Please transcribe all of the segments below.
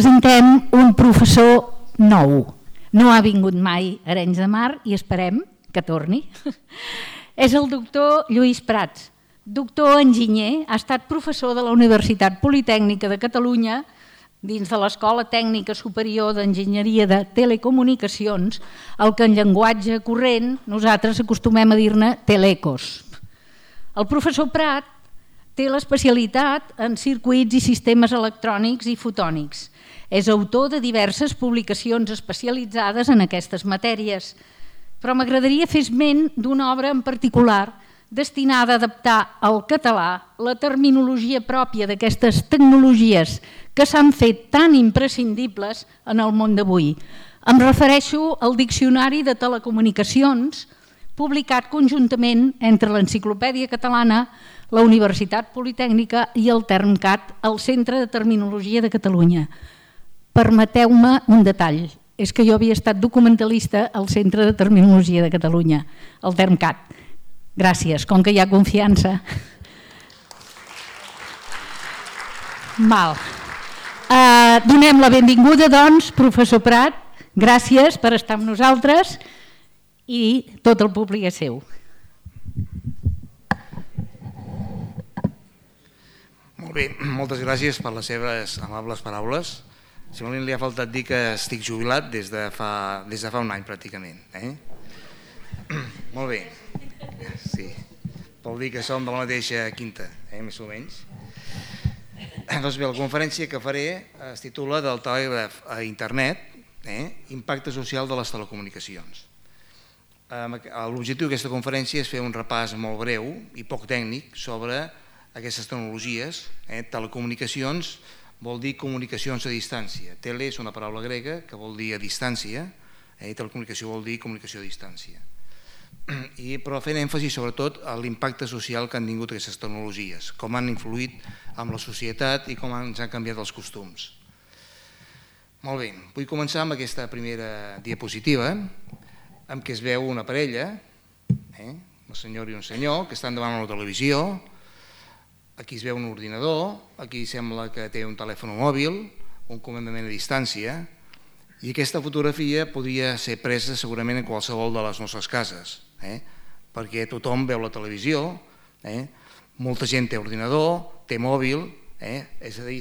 presentem un professor nou. No ha vingut mai a Arenys de Mar i esperem que torni. És el doctor Lluís Prats, doctor enginyer, ha estat professor de la Universitat Politècnica de Catalunya dins de l'Escola Tècnica Superior d'Enginyeria de Telecomunicacions, el que en llenguatge corrent nosaltres acostumem a dir-ne telecos. El professor Prat té l'especialitat en circuits i sistemes electrònics i fotònics. És autor de diverses publicacions especialitzades en aquestes matèries, però m'agradaria fer esment d'una obra en particular destinada a adaptar al català la terminologia pròpia d'aquestes tecnologies que s'han fet tan imprescindibles en el món d'avui. Em refereixo al Diccionari de Telecomunicacions, publicat conjuntament entre l'Enciclopèdia Catalana, la Universitat Politècnica i el Termcat, el Centre de Terminologia de Catalunya. Permeteu-me un detall, és que jo havia estat documentalista al Centre de Terminologia de Catalunya, el Termcat. Gràcies, com que hi ha confiança. Donem la benvinguda, doncs, professor Prat. Gràcies per estar amb nosaltres i tot el públic és seu. Molt bé, moltes gràcies per les seves amables paraules. Simplement li ha faltat dir que estic jubilat des de fa un any pràcticament. Molt bé, sí, vol dir que som de la mateixa quinta, més o menys. Doncs bé, la conferència que faré es titula del telègraf a internet, impacte social de les telecomunicacions. L'objectiu d'aquesta conferència és fer un repàs molt breu i poc tècnic sobre aquestes tecnologies. Telecomunicacions vol dir comunicacions a distància. Tele és una paraula grega que vol dir a distància i telecomunicació vol dir comunicació a distància. Però fent èmfasi sobretot a l'impacte social que han tingut aquestes tecnologies, com han influït en la societat i com ens han canviat els costums. Molt bé, vull començar amb aquesta primera diapositiva en què es veu una parella, una senyora i un senyor, que estan davant una televisió. Aquí es veu un ordinador, aquí sembla que té un telèfon mòbil, un comandament a distància, i aquesta fotografia podria ser presa segurament en qualsevol de les nostres cases, perquè tothom veu la televisió, molta gent té ordinador, té mòbil, és a dir,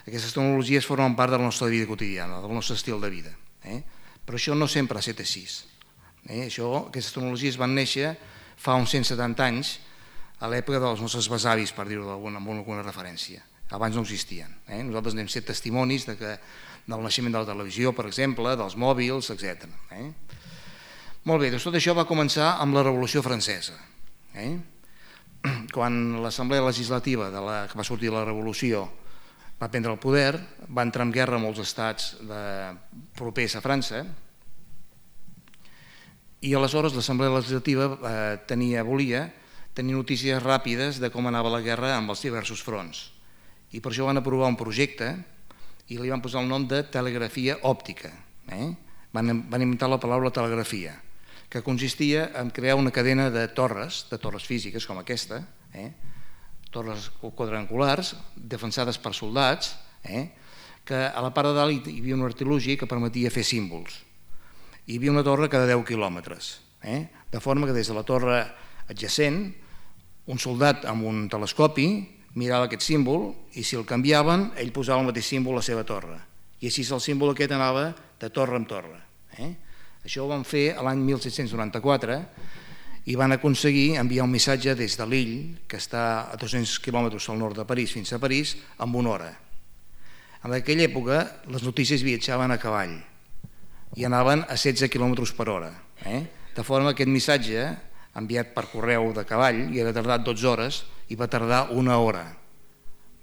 aquestes tecnologies formen part de la nostra vida quotidiana, del nostre estil de vida. Però això no sempre ha estat així. Aquestes tecnologies van néixer fa uns 170 anys, a l'època dels nostres besavis, per dir-ho amb alguna referència. Abans no existien. Nosaltres n'hem set testimonis del naixement de la televisió, per exemple, dels mòbils, etc. Molt bé, doncs tot això va començar amb la Revolució Francesa. Quan l'Assemblea Legislativa que va sortir de la Revolució va prendre el poder, va entrar en guerra amb molts estats propers a França, i aleshores l'Assemblea Legislativa volia tenir notícies ràpides de com anava la guerra amb els diversos fronts. I per això van aprovar un projecte i li van posar el nom de telegrafia òptica. Van inventar la paraula telegrafia, que consistia en crear una cadena de torres físiques com aquesta, torres quadrangulars defensades per soldats, que a la part de dalt hi havia un artilugi que permetia fer símbols. Hi havia una torre cada 10 quilòmetres, de forma que des de la torre adjacent un soldat amb un telescopi mirava aquest símbol i si el canviaven ell posava el mateix símbol a la seva torre i així el símbol aquest anava de torre en torre. Això ho van fer l'any 1794 i van aconseguir enviar un missatge des de Lille, que està a 200 quilòmetres al nord de París, fins a París, en una hora. En aquella època les notícies viatjaven a cavall i anaven a 16 quilòmetres per hora, de forma que aquest missatge enviat per correu de cavall i havia tardat 12 hores i va tardar una hora.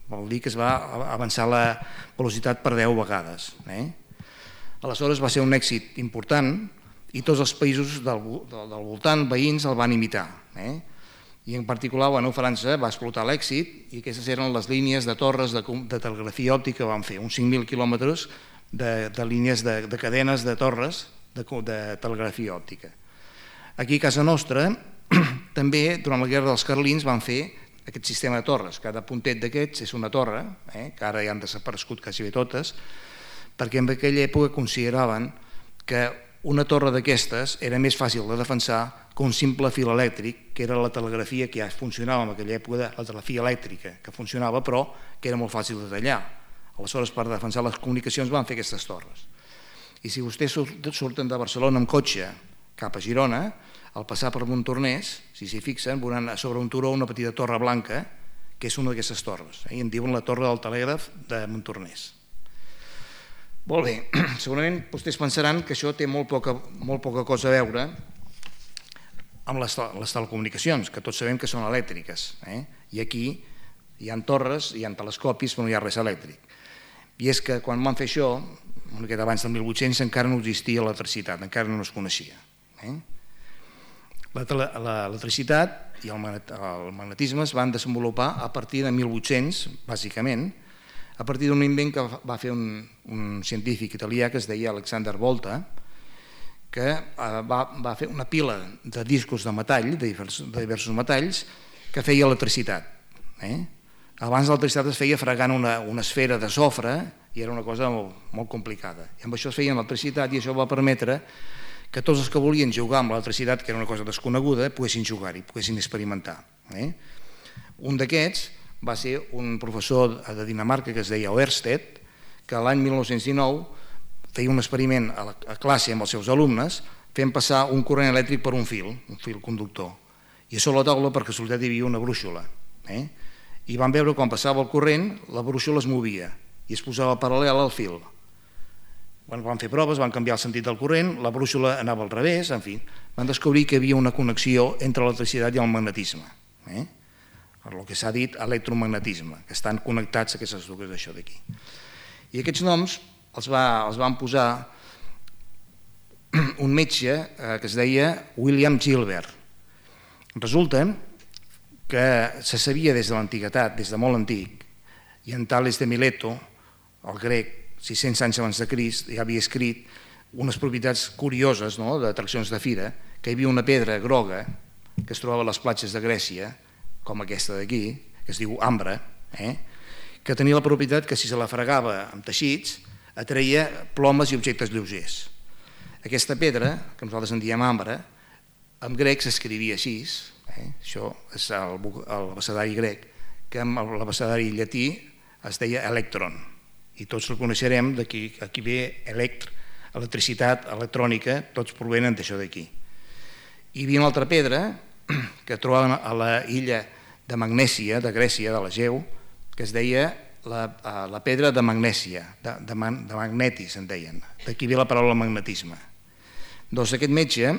Vol dir que es va avançar la velocitat per 10 vegades. Aleshores va ser un èxit important i tots els països del voltant, veïns, el van imitar. I en particular França va explotar l'èxit i aquestes eren les línies de torres de telegrafia òptica que van fer, uns 5.000 quilòmetres de línies de cadenes de torres de telegrafia òptica. Aquí a casa nostra també durant la guerra dels Carlins van fer aquest sistema de torres. Cada puntet d'aquests és una torre, que ara ja han desaparegut quasi bé totes, perquè en aquella època consideraven que una torre d'aquestes era més fàcil de defensar que un simple fil elèctric, que era la telegrafia que ja funcionava en aquella època, la telegrafia elèctrica, que funcionava però que era molt fàcil de tallar. Aleshores, per defensar les comunicacions van fer aquestes torres. I si vostès surten de Barcelona amb cotxe cap a Girona, al passar per Montornès, si s'hi fixen, veuran sobre un turó una petita torre blanca, que és una d'aquestes torres, i en diuen la torre del telègraf de Montornès. Molt bé, segurament vostès pensaran que això té molt poca cosa a veure amb les telecomunicacions, que tots sabem que són elèctriques, i aquí hi ha torres, hi ha telescopis, però no hi ha res elèctric. I és que quan van fer això, una miqueta abans del 1800, encara no existia l'electricitat, encara no es coneixia. L'electricitat i el magnetisme es van desenvolupar a partir de 1800, bàsicament, a partir d'un invent que va fer un científic italià que es deia Alexander Volta, que va fer una pila de discos de metall, de diversos metalls, que feia electricitat. Abans l'electricitat es feia fregant una esfera de sofre i era una cosa molt complicada. I amb això es feia electricitat i això va permetre que tots els que volien jugar amb l'electricitat, que era una cosa desconeguda, poguessin jugar-hi, poguessin experimentar. Un d'aquests va ser un professor de Dinamarca que es deia Ørsted, que l'any 1919 feia un experiment a classe amb els seus alumnes fent passar un corrent elèctric per un fil conductor. I a sobre la taula, per casualitat, hi havia una brúixola. I van veure quan passava el corrent, la brúixola es movia i es posava paral·lel al fil. Quan van fer proves, van canviar el sentit del corrent, la brúixola anava al revés, en fi, van descobrir que hi havia una connexió entre l'electricitat i el magnetisme. El que s'ha dit electromagnetisme, que estan connectats aquestes dues d'això d'aquí. I aquests noms els van posar un metge que es deia William Gilbert. Resulta que se sabia des de l'antiguitat, des de molt antic, i en Tales de Mileto, el grec, 600 anys abans de Crist, ja havia escrit unes propietats curioses d'atraccions de fira, que hi havia una pedra groga que es trobava a les platges de Grècia, com aquesta d'aquí, que es diu ambre, que tenia la propietat que si se la fregava amb teixits atreia plomes i objectes lleugers. Aquesta pedra, que nosaltres en diem ambre, en grec s'escrivia així, això és l'abecedari grec, que amb l'abecedari llatí es deia electron, i tots reconeixerem d'aquí ve electricitat, electrònica, tots provenen d'això d'aquí. Hi havia una altra pedra que trobaven a la illa de Magnèsia, de Grècia, de l'Egeu, que es deia la pedra de Magnèsia, de magnetis en deien, d'aquí ve la paraula magnetisme. Doncs aquest metge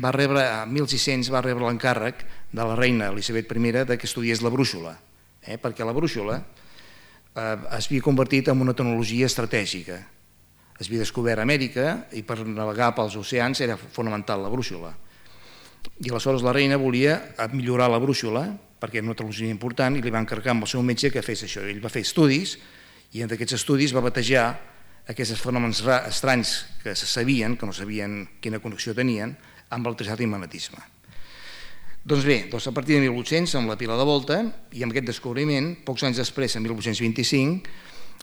va rebre, a 1600 va rebre l'encàrrec de la reina Elisabet I que estudiés la brúixola, perquè la brúixola es havia convertit en una tecnologia estratègica. Es havia descobert a Amèrica i per navegar pels oceans era fonamental la brúixola. I aleshores la reina volia millorar la brúixola perquè era una tecnologia important i li va encarregar amb el seu metge que fes això. Ell va fer estudis i en aquests estudis va batejar aquests fenòmens estranys que se sabien, que no sabien quina connexió tenien, amb l'electricitat i magnetisme. Doncs bé, a partir de 1800, amb la pila de Volta, i amb aquest descobriment, pocs anys després, en 1825,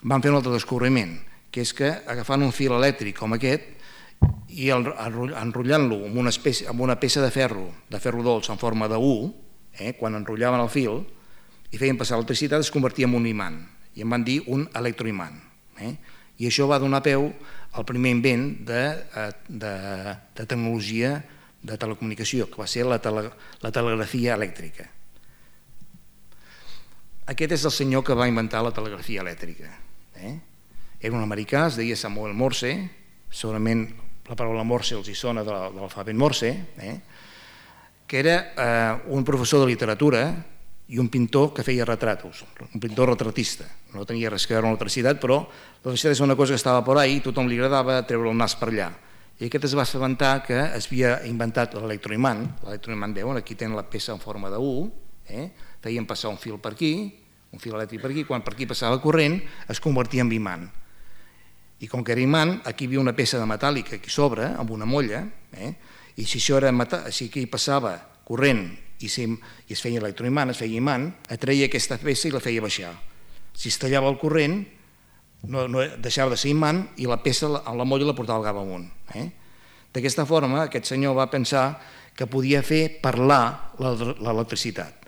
van fer un altre descobriment, que és que agafant un fil elèctric com aquest i enrotllant-lo amb una peça de ferro dolç en forma de U, quan enrotllaven el fil i feien passar l'electricitat, es convertia en un imant, i en van dir un electroimant. I això va donar peu al primer invent de tecnologia de telecomunicació, que va ser la telegrafia elèctrica. Aquest és el senyor que va inventar la telegrafia elèctrica. Era un americà, es deia Samuel Morse, segurament la paraula Morse els hi sona de l'alfabet Morse, que era un professor de literatura i un pintor que feia retratos, un pintor retratista. No tenia res que veure amb l'electricitat, però l'electricitat és una cosa que estava per ahí i tothom li agradava treure el nas per allà. I aquest es va assabentar que es havia inventat l'electroimant. L'electroimant, veuen, aquí tenen la peça en forma de U, feien passar un fil per aquí, un fil elèctric per aquí, quan per aquí passava corrent es convertia en imant. I com que era imant, aquí hi havia una peça de metàl·lica aquí sobre, amb una molla, i si aquí passava corrent i es feia electroimant, es feia imant, atreia aquesta peça i la feia baixar. Si es tallava el corrent, no deixava de ser imant i la peça amb la molla la portava cap amunt. D'aquesta forma, aquest senyor va pensar que podia fer parlar l'electricitat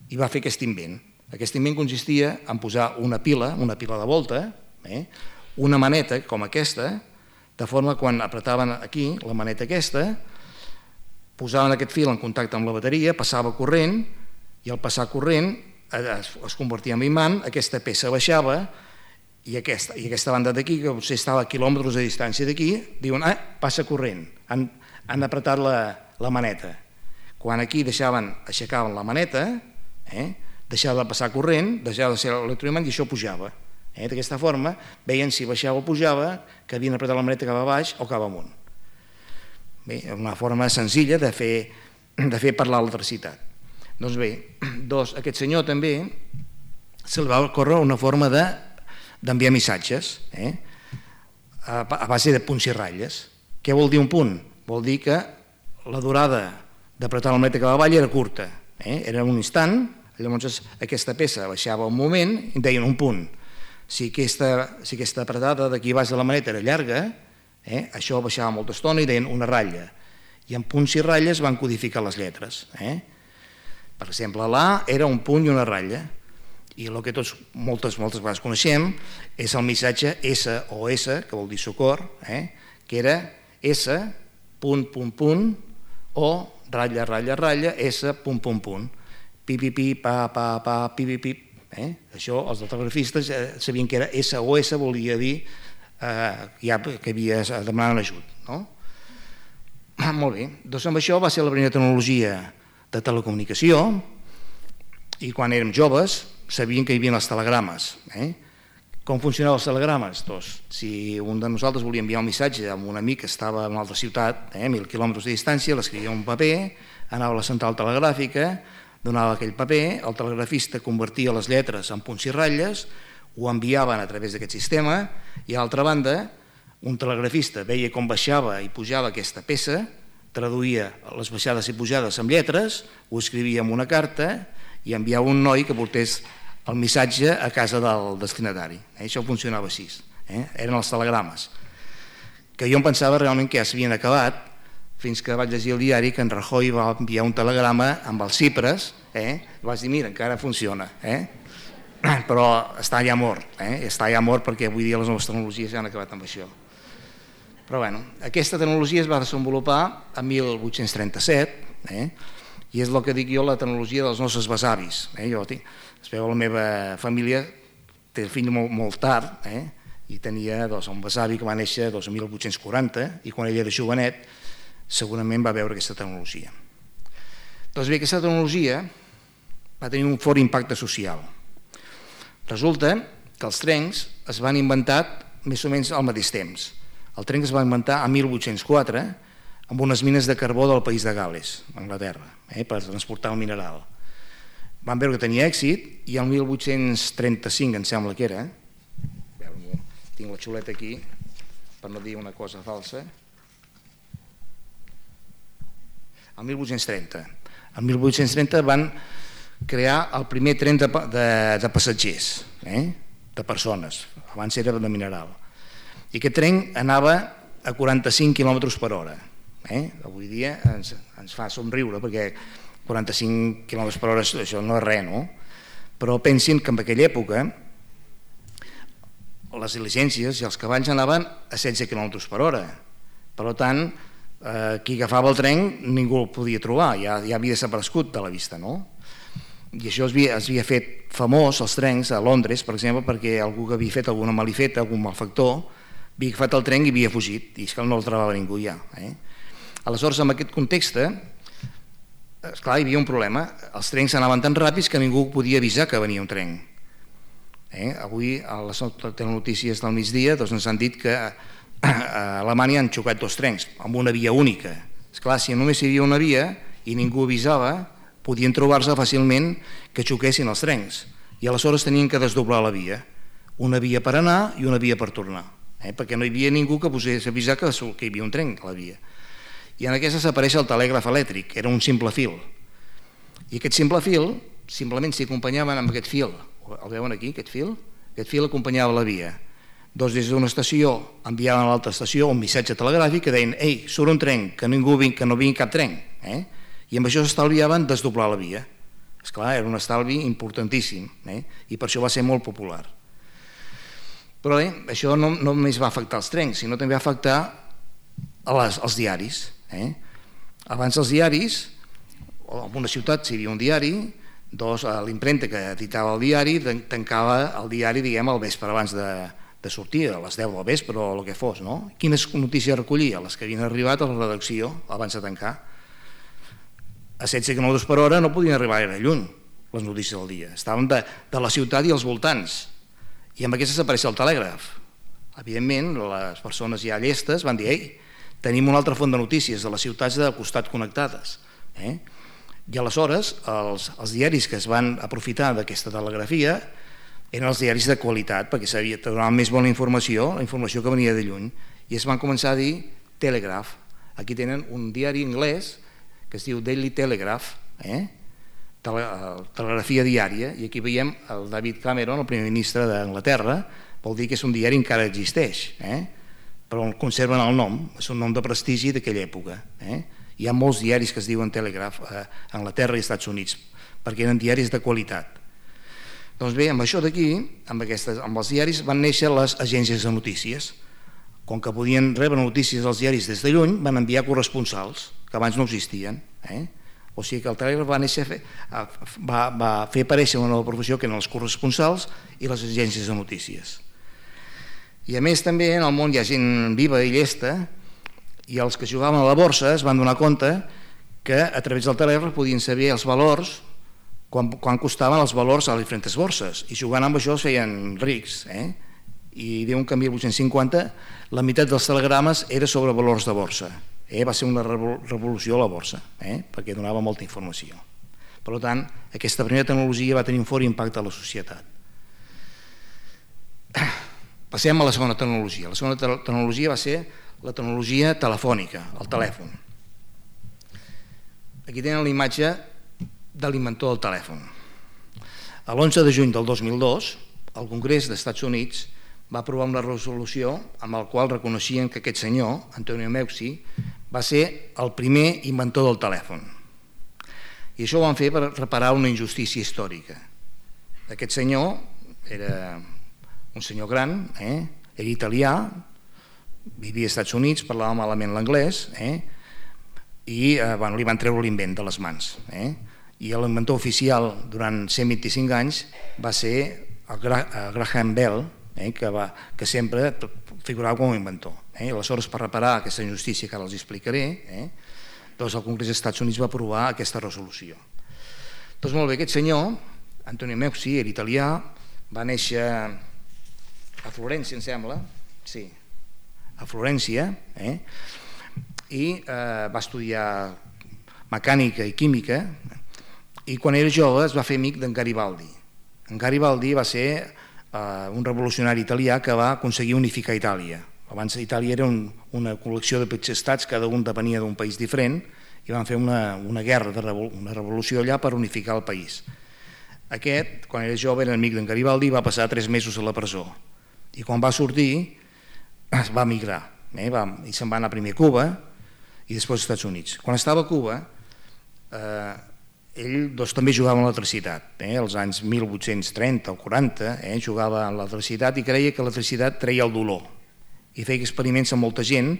i va fer aquest invent. Aquest invent consistia en posar una pila de volta, una maneta com aquesta, de forma que quan apretaven aquí la maneta aquesta, posaven aquest fil en contacte amb la bateria, passava corrent i al passar corrent es convertia en imant, aquesta peça baixava i aquesta banda d'aquí, que potser estava a quilòmetres de distància d'aquí, diuen, passa corrent, han apretat la maneta. Quan aquí aixecaven la maneta, deixava de passar corrent, deixava de ser l'electroimant i això pujava. D'aquesta forma veien si baixava o pujava, que havien apretat la maneta cap a baix o cap amunt. Bé, una forma senzilla de fer parlar l'electricitat. Doncs bé, aquest senyor també se li va ocórrer una forma d'enviar missatges a base de punts i ratlles. Què vol dir un punt? Vol dir que la durada d'apretar la maneta cap avall era curta, era un instant, llavors aquesta peça baixava un moment i deien un punt. Si aquesta apretada d'aquí baix de la maneta era llarga, això baixava molta estona i deien una ratlla. I en punts i ratlles van codificar les lletres. Per exemple, l'A era un punt i una ratlla. I el que tots moltes vegades coneixem és el missatge SOS, que vol dir socor, que era S, punt, punt, punt, o ratlla, ratlla, ratlla, S, punt, punt, punt. Pi, pi, pi, pa, pa, pa, pi, pi, pi. Això els telegrafistes sabien que era SOS, volia dir que havia demanat ajut. Molt bé, doncs amb això va ser la primera tecnologia de telecomunicació i quan érem joves sabien que hi havia els telegrames. Com funcionaven els telegrames? Doncs, si un de nosaltres volia enviar un missatge a un amic que estava en una altra ciutat, 1.000 quilòmetres de distància, l'escrivia en un paper, anava a la central telegràfica, donava aquell paper, el telegrafista convertia les lletres en punts i ratlles, ho enviaven a través d'aquest sistema i a l'altra banda un telegrafista veia com baixava i pujava aquesta peça, traduïa les baixades i pujades en lletres, ho escrivia en una carta i enviava un noi que portés el missatge a casa del destinatari. Això funcionava així, eren els telegrames, que jo em pensava realment que ja s'havien acabat, fins que vaig llegir el diari que en Rajoy va enviar un telegrama amb els Cipres, vaig dir, mira, encara funciona, però està ja mort, perquè avui dia les noves tecnologies ja han acabat amb això. Però bé, aquesta tecnologia es va desenvolupar en 1837, i és el que dic jo, la tecnologia dels nostres besavis. Es veu, la meva família té el fill molt tard, i tenia un besavi que va néixer el 1840, i quan ell era jovenet, segurament va veure aquesta tecnologia. Doncs bé, aquesta tecnologia va tenir un fort impacte social. Resulta que els trens es van inventar més o menys al mateix temps. El tren es va inventar a 1804 amb unes mines de carbó del país de Gal·les, Anglaterra, per transportar el mineral. Van veure que tenia èxit i el 1835, em sembla que era, tinc la xuleta aquí per no dir una cosa falsa, el 1830. El 1830 van crear el primer tren de passatgers, de persones, abans era de mineral. I aquest tren anava a 45 km per hora. Avui dia ens fa somriure perquè 45 km per hora això no és res, no? Però pensin que en aquella època les diligències i els cavalls anaven a 16 km per hora. Per tant, qui agafava el tren ningú el podia trobar, ja havia desaparegut de la vista, no? I això es havia fet famós, els trens, a Londres, per exemple, perquè algú que havia fet alguna malifeta, algun malfactor, havia agafat el tren i havia fugit, i és que no el trobava ningú ja. Aleshores, en aquest context, esclar, hi havia un problema, els trens anaven tan ràpids que ningú podia avisar que venia un tren. Avui, a les telenotícies del migdia, ens han dit que a Alemanya han xocat dos trens amb una via única. Esclar, si només hi havia una via i ningú avisava, podien trobar-se fàcilment que xoquessin els trens i aleshores tenien que desdoblar la via, una via per anar i una via per tornar, perquè no hi havia ningú que posés a avisar que hi havia un tren a la via. I en aquesta apareix el telègraf elèctric, era un simple fil. I aquest simple fil, simplement s'hi acompanyaven amb aquest fil, el veuen aquí, aquest fil acompanyava la via. Doncs des d'una estació enviaven a l'altra estació un missatge telegràfic que deien «Ei, surt un tren, que no vingui cap tren». I amb això s'estalviaven desdoblar la via. Esclar, era un estalvi importantíssim i per això va ser molt popular. Però bé, això no només va afectar els trens, sinó també va afectar els diaris. Abans els diaris, en una ciutat si hi havia un diari, l'impremta que editava el diari tancava el diari, diguem, al vespre abans de sortir, a les 10 del vespre o el que fos. Quines notícies recollia? Les que havien arribat a la redacció abans de tancar. A 16 km per hora no podien arribar gaire lluny les notícies del dia. Estaven de la ciutat i els voltants. I amb aquestes apareix el telègraf. Evidentment, les persones ja llestes van dir «Ei, tenim una altra font de notícies de les ciutats de costat connectades». I aleshores els diaris que es van aprofitar d'aquesta telegrafia eren els diaris de qualitat, perquè sabia que donaven més bona informació, la informació que venia de lluny, i es van començar a dir Telegraph. Aquí tenen un diari anglès que es diu Daily Telegraph, telegrafia diària, i aquí veiem el David Cameron, el primer ministre d'Anglaterra, vol dir que és un diari que encara existeix, però conserven el nom, és un nom de prestigi d'aquella època. Hi ha molts diaris que es diuen Telegraph a Anglaterra i als Estats Units, perquè eren diaris de qualitat. Doncs bé, amb això d'aquí, amb els diaris, van néixer les agències de notícies. Com que podien rebre notícies dels diaris des de lluny, van enviar corresponsals, que abans no existien. O sigui que el telègraf va fer aparèixer una nova professió, que eren els corresponsals i les agències de notícies. I a més també en el món hi ha gent viva i llesta, i els que jugaven a la borsa es van donar compte que a través del telègraf podien saber els valors, quan costaven els valors a les diferents borses, i jugant amb això es feien rics. I diuen que en 1850 la meitat dels telegrames era sobre valors de borsa. Va ser una revolució a la borsa, perquè donava molta informació. Per tant, aquesta primera tecnologia va tenir un fort impacte a la societat. Passem a la segona tecnologia. La segona tecnologia va ser la tecnologia telefònica, el telèfon. Aquí tenen la imatge de l'inventor del telèfon. L'11 de juny del 2002, el Congrés dels Estats Units va aprovar una resolució amb la qual reconeixien que aquest senyor, Antonio Meucci, va ser el primer inventor del telèfon. I això ho van fer per reparar una injustícia històrica. Aquest senyor era un senyor gran, era italià, vivia als Estats Units, parlava malament l'anglès, i li van treure l'invent de les mans. I l'inventor oficial durant 125 anys va ser el Graham Bell, que sempre figurava com a inventor. Aleshores, per reparar aquesta injustícia que ara els explicaré, doncs el Congrés dels Estats Units va aprovar aquesta resolució. Doncs molt bé, aquest senyor, Antonio Meucci, era italià, va néixer a Florència, em sembla, sí, a Florència, i va estudiar mecànica i química, i quan era jove es va fer amic d'en Garibaldi. En Garibaldi va ser un revolucionari italià que va aconseguir unificar Itàlia. Abans Itàlia era una col·lecció de petits estats, cada un depenia d'un país diferent, i van fer una guerra, una revolució allà per unificar el país. Aquest, quan era jove, era amic d'en Garibaldi i va passar 3 mesos a la presó. I quan va sortir, es va migrar, i se'n va anar primer a Cuba i després als Estats Units. Quan estava a Cuba, ell també jugava amb l'electricitat. Als anys 1830 o 40 jugava amb l'electricitat i creia que l'electricitat treia el dolor. I feia experiments amb molta gent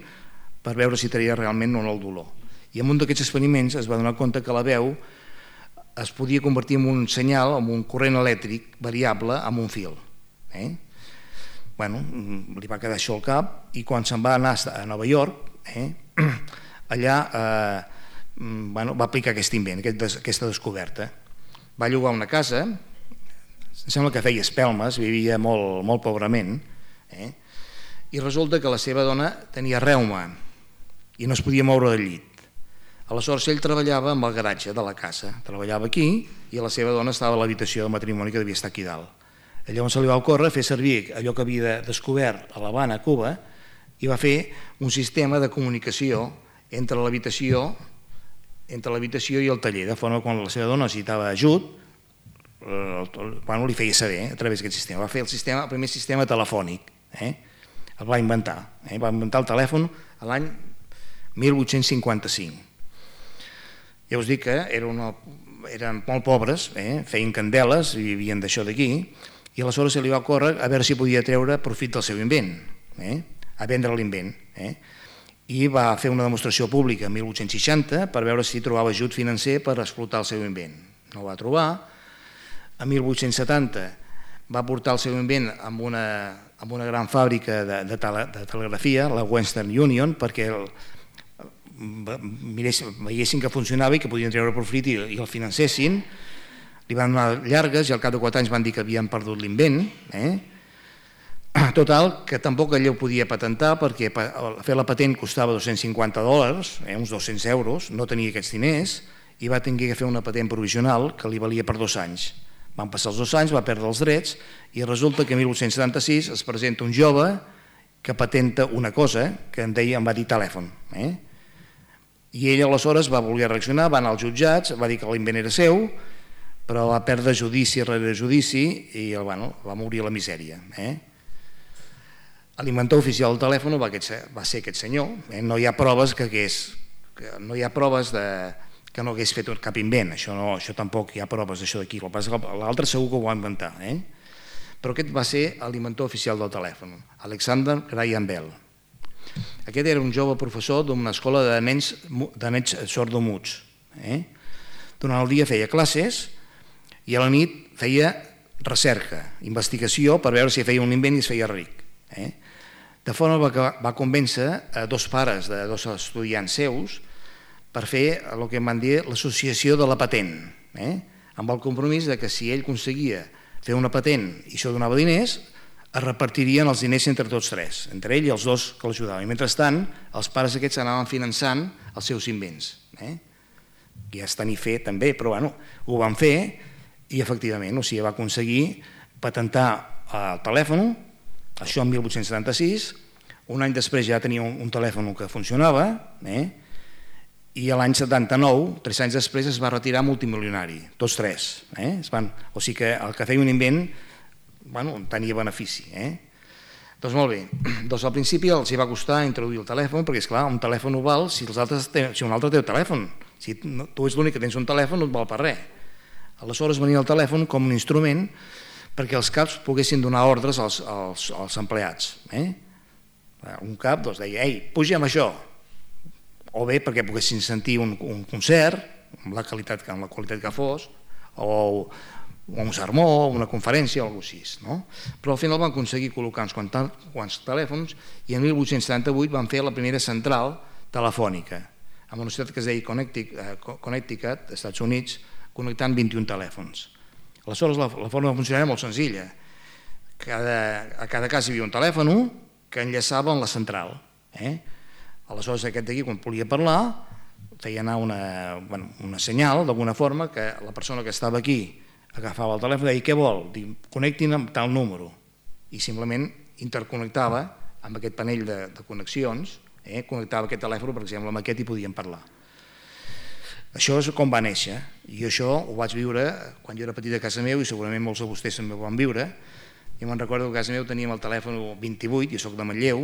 per veure si treia realment o no el dolor. I en un d'aquests experiments es va donar compte que la veu es podia convertir en un senyal, en un corrent elèctric variable amb un fil. Li va quedar això al cap i quan se'n va anar a Nova York, allà va aplicar aquest invent, aquesta descoberta. Va llogar una casa, em sembla que feia espelmes, vivia molt pobrament, i resulta que la seva dona tenia reuma i no es podia moure del llit. Aleshores ell treballava amb el garatge de la casa, treballava aquí i la seva dona estava a l'habitació de matrimoni que devia estar aquí dalt. Llavors se li va ocórrer fer servir allò que havia descobert a l'Havana, a Cuba, i va fer un sistema de comunicació entre l'habitació entre l'habitació i el taller, de forma que quan la seva dona necessitava ajut, li feia saber a través d'aquest sistema. Va fer el primer sistema telefònic, el va inventar. Va inventar el telèfon l'any 1855. Ja us dic que eren molt pobres, feien candeles i vivien d'això d'aquí, i aleshores se li va córrer a veure si podia treure profit del seu invent, a vendre l'invent. I va fer una demostració pública en 1860 per veure si trobava ajut financer per explotar el seu invent. No ho va trobar. En 1870 va portar el seu invent amb una gran fàbrica de telegrafia, la Western Union, perquè veiessin que funcionava i que podien treure profit i el financessin. Li van donar llargues i al cap de 4 anys van dir que havien perdut l'invent. Total, que tampoc ell ho podia patentar perquè fer la patent costava $250, uns 200 euros, no tenia aquests diners i va tenir que fer una patent provisional que li valia per 2 anys. Van passar els 2 anys, va perdre els drets i resulta que en 1876 es presenta un jove que patenta una cosa que em va dir telèfon. I ell aleshores va voler reaccionar, va anar als jutjats, va dir que l'invent era seu, però va perdre judici rere judici i va morir a la misèria. L'inventor oficial del telèfon va ser aquest senyor. No hi ha proves que no hagués fet cap invent, això tampoc hi ha proves d'això d'aquí, l'altre segur que ho va inventar. Però aquest va ser l'inventor oficial del telèfon, Alexander Graham Bell. Aquest era un jove professor d'una escola de nens sordomuts. Durant el dia feia classes i a la nit feia recerca, investigació per veure si feia un invent i es feia ric. De forma que va convèncer a 2 pares de 2 estudiants seus per fer el que en van dir l'associació de la patent, amb el compromís que si ell aconseguia fer una patent i això donava diners, es repartirien els diners entre tots 3, entre ell i els 2 que l'ajudaven. I mentrestant, els pares aquests anaven finançant els seus invents. Ja està ni fet també, però ho van fer i efectivament va aconseguir patentar el telèfon, això en 1876, un any després ja tenia un telèfon que funcionava i l'any 79, 3 anys després, es va retirar multimilionari, tots 3. O sigui que el que feia un invent tenia benefici. Doncs molt bé, al principi els hi va costar introduir el telèfon perquè, esclar, un telèfon ho val si un altre té el telèfon. Si tu ets l'únic que tens un telèfon no et val per res. Aleshores venia el telèfon com un instrument perquè els caps poguessin donar ordres als empleats. Un cap deia, ei, puja amb això, o bé perquè poguessin sentir un concert, amb la qualitat que fos, o un sermó, una conferència o alguna cosa així. Però al final van aconseguir col·locar uns quants telèfons i en 1878 van fer la primera central telefònica amb una ciutat que es deia Connecticut, als Estats Units, connectant 21 telèfons. Aleshores la forma de funcionar era molt senzilla. A cada casa hi havia un telèfon que enllaçava amb la central. Aleshores aquest d'aquí, quan volia parlar, feia anar una senyal d'alguna forma que la persona que estava aquí agafava el telèfon i deia, què vol? Connectin amb tal número. I simplement interconnectava amb aquest panell de connexions, connectava aquest telèfon, per exemple, amb aquest i podien parlar. Això és com va néixer, i això ho vaig viure quan jo era petit a casa meu, i segurament molts de vostès també ho van viure. Jo me'n recordo que a casa meu teníem el telèfon 28, jo soc de Manlleu,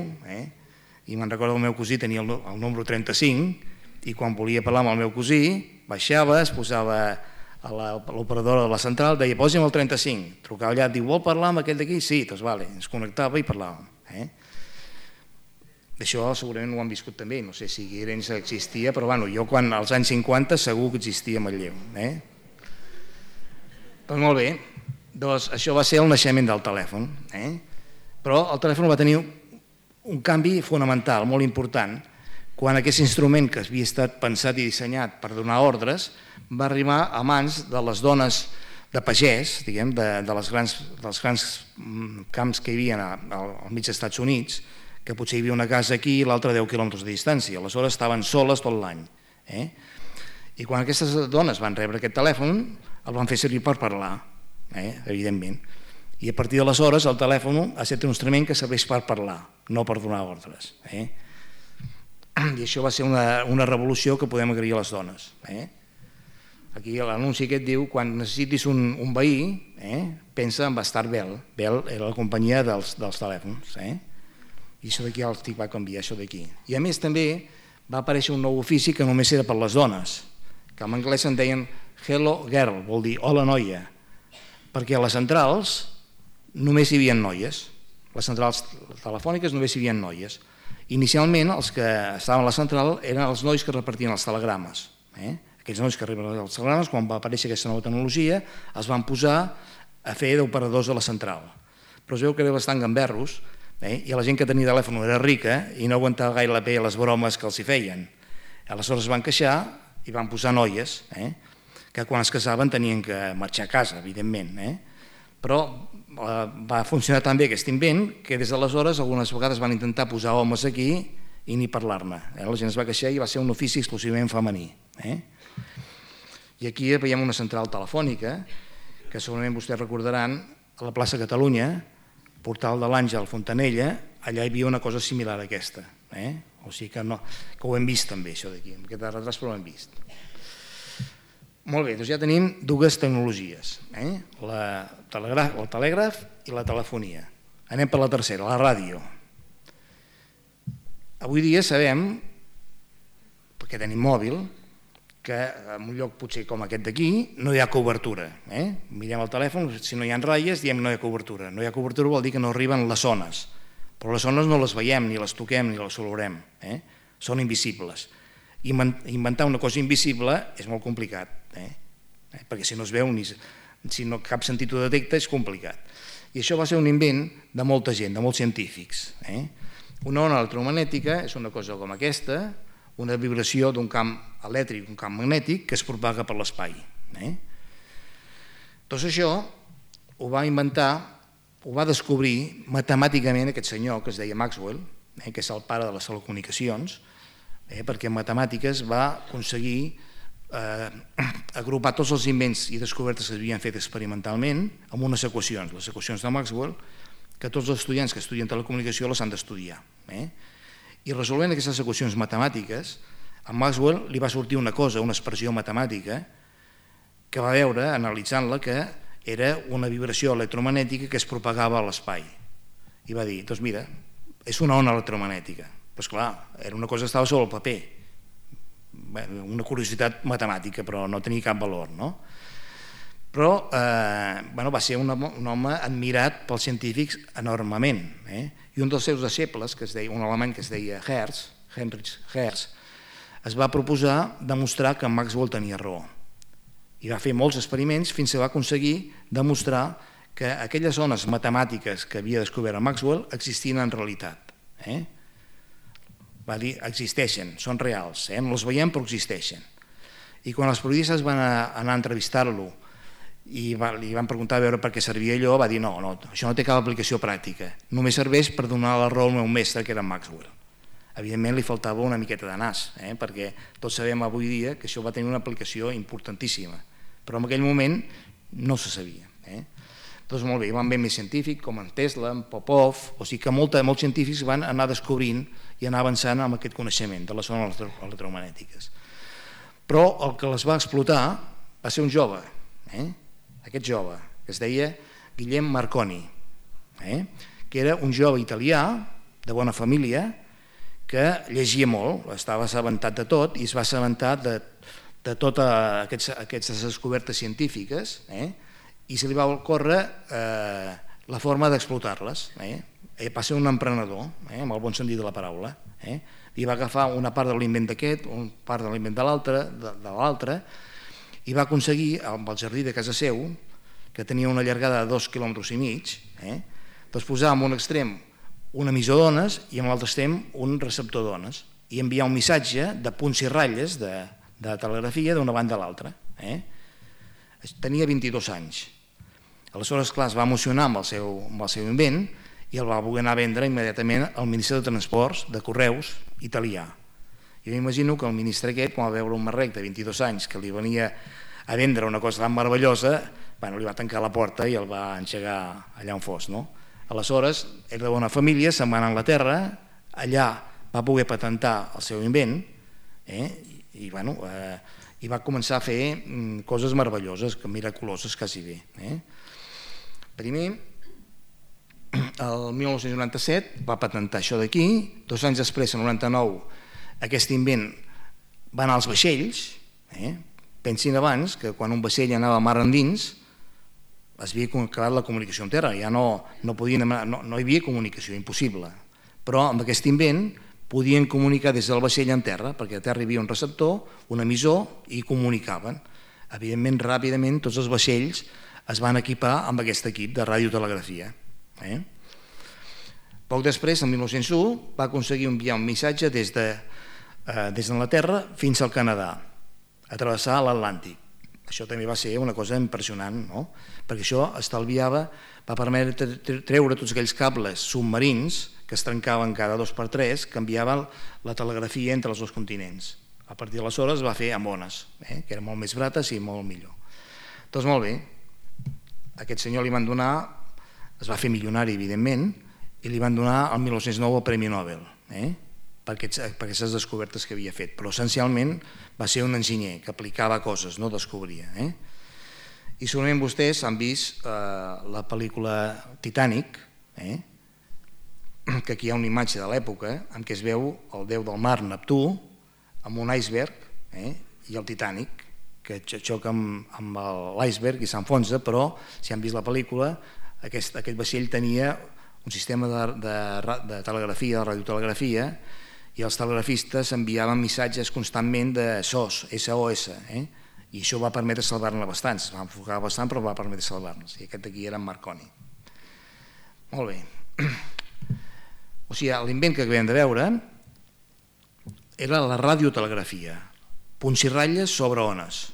i me'n recordo que el meu cosí tenia el número 35, i quan volia parlar amb el meu cosí, baixava, es posava a l'operadora de la central, deia, posi'm el 35, trucava allà, diu, vol parlar amb aquell d'aquí? Sí, doncs vale, ens connectava i parlàvem. Això segurament ho han viscut també, no sé si Guirenys existia, però jo quan als anys 50 segur que existia a Manlleu. Doncs molt bé, això va ser el naixement del telèfon, però el telèfon va tenir un canvi fonamental, molt important, quan aquest instrument que havia estat pensat i dissenyat per donar ordres va arribar a mans de les dones de pagès, diguem, dels grans camps que hi havia al mig dels Estats Units, que potser hi havia una casa aquí i l'altra a 10 quilòmetres de distància, aleshores estaven soles tot l'any. I quan aquestes dones van rebre aquest telèfon, el van fer servir per parlar, evidentment. I a partir d'aleshores el telèfon ha estat un instrument que serveix per parlar, no per donar ordres. I això va ser una revolució que podem agrair a les dones. Aquí l'anunci aquest diu: quan necessitis un veí, pensa en Bastar Bell. Bell era la companyia dels telèfons. I això d'aquí el TIC va canviar, això d'aquí. I a més també va aparèixer un nou ofici que només era per les dones, que en anglès en deien Hello Girl, vol dir hola noia, perquè a les centrals només hi havia noies. Les centrals telefòniques només hi havia noies. Inicialment els que estaven a la central eren els nois que repartien els telegrames. Aquells nois que repartien els telegrames, quan va aparèixer aquesta nova tecnologia, es van posar a fer d'operadors de la central. Però es veu que era bastant gamberros, i la gent que tenia telèfon era rica i no aguantava gaire bé les bromes que els hi feien. Aleshores es van queixar i van posar noies, que quan es casaven tenien que marxar a casa, evidentment. Però va funcionar tan bé aquest invent que des d'aleshores algunes vegades van intentar posar homes aquí i ni parlar-ne. La gent es va queixar i va ser un ofici exclusivament femení. I aquí veiem una central telefònica que segurament vostès recordaran a la plaça Catalunya, Portal de l'Àngel, Fontanella, allà hi havia una cosa similar a aquesta. O sigui que ho hem vist també, això d'aquí, amb aquest retras, però ho hem vist. Molt bé, doncs ja tenim dues tecnologies, el telègraf i la telefonia. Anem per la tercera, la ràdio. Avui dia sabem, perquè tenim mòbil, que en un lloc potser com aquest d'aquí no hi ha cobertura. Mirem el telèfon, si no hi ha ratlles diem no hi ha cobertura. No hi ha cobertura vol dir que no arriben les ones, però les ones no les veiem, ni les toquem, ni les olorem. Són invisibles. Inventar una cosa invisible és molt complicat, perquè si no es veu, si no cap sentit ho detecta, és complicat. I això va ser un invent de molta gent, de molts científics. Una ona electromagnètica és una cosa com aquesta, una vibració d'un camp elèctric, un camp magnètic que es propaga per l'espai. Doncs això ho va inventar, ho va descobrir matemàticament aquest senyor que es deia Maxwell, que és el pare de les telecomunicacions, perquè en matemàtiques va aconseguir agrupar tots els invents i descobertes que s'havien fet experimentalment amb unes equacions, les equacions de Maxwell, que tots els estudiants que estudien telecomunicació les han d'estudiar. I resolvent aquestes equacions matemàtiques, a Maxwell li va sortir una cosa, una expressió matemàtica, que va veure, analitzant-la, que era una vibració electromagnètica que es propagava a l'espai. I va dir, doncs mira, és una ona electromagnètica. Però esclar, era una cosa que estava sobre el paper, una curiositat matemàtica, però no tenia cap valor, no? Però va ser un home admirat pels científics enormement. I un dels seus deixebles, un alemany que es deia Heinrich Hertz, es va proposar demostrar que Maxwell tenia raó. I va fer molts experiments fins que va aconseguir demostrar que aquelles ones matemàtiques que havia descobert Maxwell existien en realitat. Va dir, existeixen, són reals, no les veiem però existeixen. I quan els periodistes van anar a entrevistar-lo i li van preguntar a veure per què servia allò, va dir no, això no té cap aplicació pràctica, només serveix per donar la raó al meu mestre, que era Maxwell. Evidentment li faltava una miqueta de nas, perquè tots sabem avui dia que això va tenir una aplicació importantíssima, però en aquell moment no se sabia. Doncs molt bé, hi van haver més científics com en Tesla, en Popov, o sigui que molts científics van anar descobrint i anar avançant amb aquest coneixement de les ones electromagnètiques. Però el que les va explotar va ser un jove, aquest jove, que es deia Guillem Marconi, que era un jove italià de bona família que llegia molt, estava assabentat de tot i es va assabentar de totes aquestes descobertes científiques i se li va ocórrer la forma d'explotar-les. Va ser un emprenedor, amb el bon sentit de la paraula, i va agafar una part de l'invent d'aquest, una part de l'invent de l'altre, i va aconseguir, amb el jardí de casa seu, que tenia una llargada de 2,5 km, doncs posar en un extrem un emissor d'ones i en l'altre extrem un receptor d'ones i enviar un missatge de punts i ratlles de telegrafia d'una banda a l'altra. Tenia 22 anys. Aleshores, clar, es va emocionar amb el seu invent i el va voler anar a vendre immediatament al Ministeri de Transports de Correus italià. Jo m'imagino que el ministre aquest, quan va veure un marrec de 22 anys que li venia a vendre una cosa tan meravellosa, li va tancar la porta i el va engegar allà on fos. Aleshores, era de bona família, se'n va anar a Anglaterra, allà va poder patentar el seu invent i va començar a fer coses meravelloses, miraculoses quasi bé. Primer, el 1997 va patentar això d'aquí, 2 anys després, el 99, aquest invent va anar als vaixells. Pensin abans que quan un vaixell anava a mar endins es havia acabat la comunicació en terra, ja no hi havia comunicació, impossible. Però amb aquest invent podien comunicar des del vaixell en terra, perquè a terra hi havia un receptor, un emissor, i comunicaven. Evidentment, ràpidament, tots els vaixells es van equipar amb aquest equip de radiotelegrafia. Poc després, el 1901, va aconseguir enviar un missatge des d'Anglaterra fins al Canadà, a travessar l'Atlàntic. Això també va ser una cosa impressionant, no? Perquè això va permetre treure tots aquells cables submarins que es trencaven cada 2 per 3, que enviaven la telegrafia entre els 2 continents. A partir d'aleshores es va fer amb ones, que eren molt més barates i molt millor. Doncs molt bé, aquest senyor li van donar, es va fer milionari evidentment, i li van donar el 1909 el Premi Nobel, per aquestes descobertes que havia fet, però essencialment va ser un enginyer que aplicava coses, no descobria. I segurament vostès han vist la pel·lícula Titanic, que aquí hi ha una imatge de l'època en què es veu el déu del mar, Neptú, amb un iceberg i el Titanic, que xoca amb l'iceberg i s'enfonsa, però si han vist la pel·lícula, aquest vaixell tenia un sistema de telegrafia, de radiotelegrafia, i els telegrafistes enviaven missatges constantment de SOS, i això va permetre salvar-ne bastants. Es va enfocar bastant, però va permetre salvar-nos. I aquest d'aquí era en Marconi. Molt bé. O sigui, l'invent que acabem de veure era la radiotelegrafia, punts i ratlles sobre ones.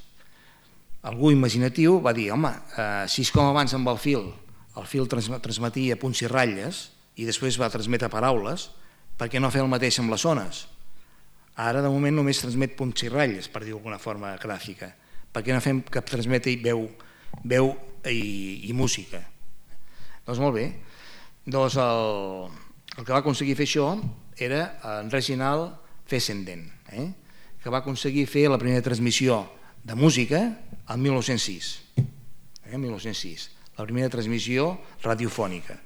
Algú imaginatiu va dir, home, si és com abans amb el fil transmetia punts i ratlles i després va transmetre paraules, per què no fer el mateix amb les ones? Ara, de moment, només transmet punts i ratlles, per dir-ho d'alguna forma gràfica. Per què no fem que transmeti veu i música? Doncs molt bé. Doncs el que va aconseguir fer això era en Reginald Fessenden, que va aconseguir fer la primera transmissió de música el 1906. 1906, la primera transmissió radiofònica.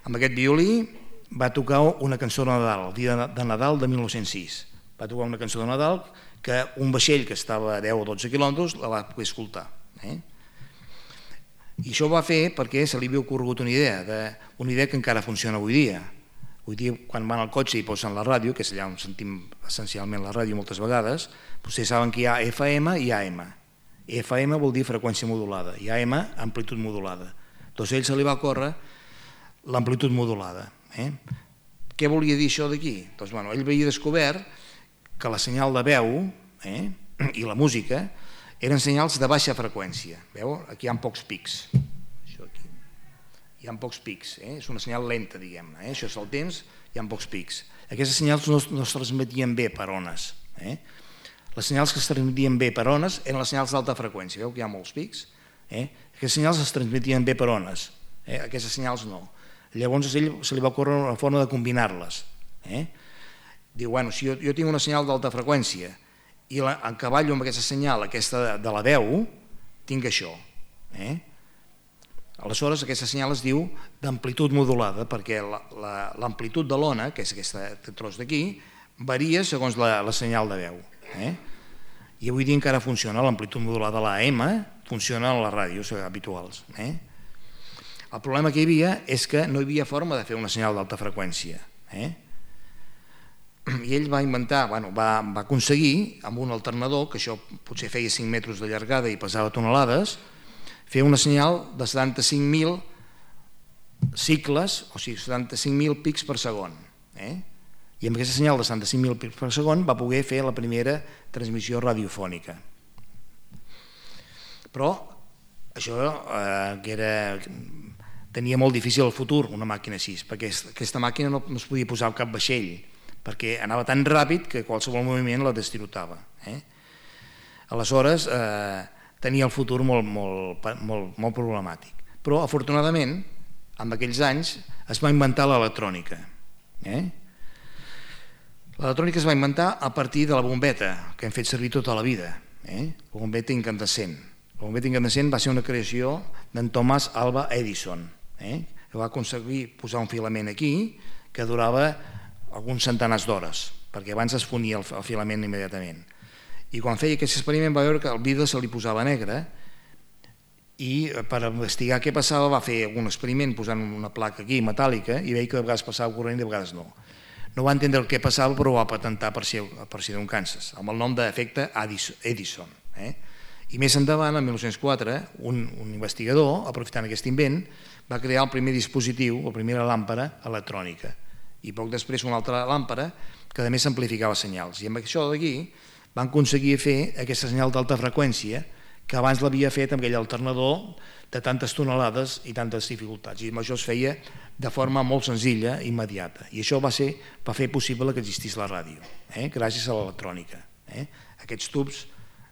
Amb aquest violí va tocar una cançó de Nadal, el dia de Nadal de 1906. Va tocar una cançó de Nadal que un vaixell que estava a 10 o 12 quilòmetres la va poder escoltar. I això ho va fer perquè se li havia ocorregut una idea que encara funciona avui dia. Avui dia, quan van al cotxe i posen la ràdio, que és allà on sentim essencialment la ràdio moltes vegades, vostès saben que hi ha FM i AM. FM vol dir freqüència modulada i AM amplitud modulada. Doncs a ell se li va córrer l'amplitud modulada. Què volia dir això d'aquí? Doncs ell havia descobert que la senyal de veu i la música eren senyals de baixa freqüència. Veu? Aquí hi ha pocs pics. Això aquí. Hi ha pocs pics. És una senyal lenta, diguem-ne. Això és el temps, hi ha pocs pics. Aquestes senyals no es transmetien bé per ones. Les senyals que es transmetien bé per ones eren les senyals d'alta freqüència. Veu que hi ha molts pics? Aquestes senyals es transmetien bé per ones. Aquestes senyals no. Llavors a ell se li va ocórrer una forma de combinar-les. Diu, bueno, si jo tinc una senyal d'alta freqüència i encavallo amb aquesta senyal, aquesta de la veu, tinc això. Aleshores aquesta senyal es diu d'amplitud modulada, perquè l'amplitud de l'ona, que és aquest tros d'aquí, varia segons la senyal de veu. I avui dia encara funciona l'amplitud modulada de l'AM, funciona en les ràdios habituals. El problema que hi havia és que no hi havia forma de fer una senyal d'alta freqüència. I ell va inventar, va aconseguir, amb un alternador, que això potser feia 5 metres de llargada i pesava tonelades, fer una senyal de 75.000 cicles, o sigui, 75.000 pics per segon. I amb aquesta senyal de 75.000 pics per segon va poder fer la primera transmissió radiofònica. Però això tenia molt difícil el futur, una màquina així, perquè aquesta màquina no es podia posar al cap vaixell, perquè anava tan ràpid que qualsevol moviment la destirotava. Aleshores, tenia el futur molt problemàtic. Però, afortunadament, en aquells anys es va inventar l'electrònica. L'electrònica es va inventar a partir de la bombeta, que hem fet servir tota la vida, la bombeta incandescent. La bombeta incandescent va ser una creació d'en Thomas Alva Edison, que va aconseguir posar un filament aquí que durava alguns centenars d'hores, perquè abans es fonia el filament immediatament. I quan feia aquest experiment va veure que el vidre se li posava negre i per investigar què passava va fer un experiment posant una placa aquí metàl·lica i veia que de vegades passava corrent i de vegades no. No va entendre el que passava però ho va patentar per si d'un Kansas, amb el nom d'efecte Edison. I més endavant, en 1904, un investigador, aprofitant aquest invent, va crear el primer dispositiu, la primera làmpara electrònica. I poc després una altra làmpara que a més amplificava senyals. I amb això d'aquí van aconseguir fer aquesta senyal d'alta freqüència que abans l'havia fet amb aquell alternador de tantes tonelades i tantes dificultats. I això es feia de forma molt senzilla i immediata. I això va fer possible que existís la ràdio, gràcies a l'electrònica. Aquests tubs,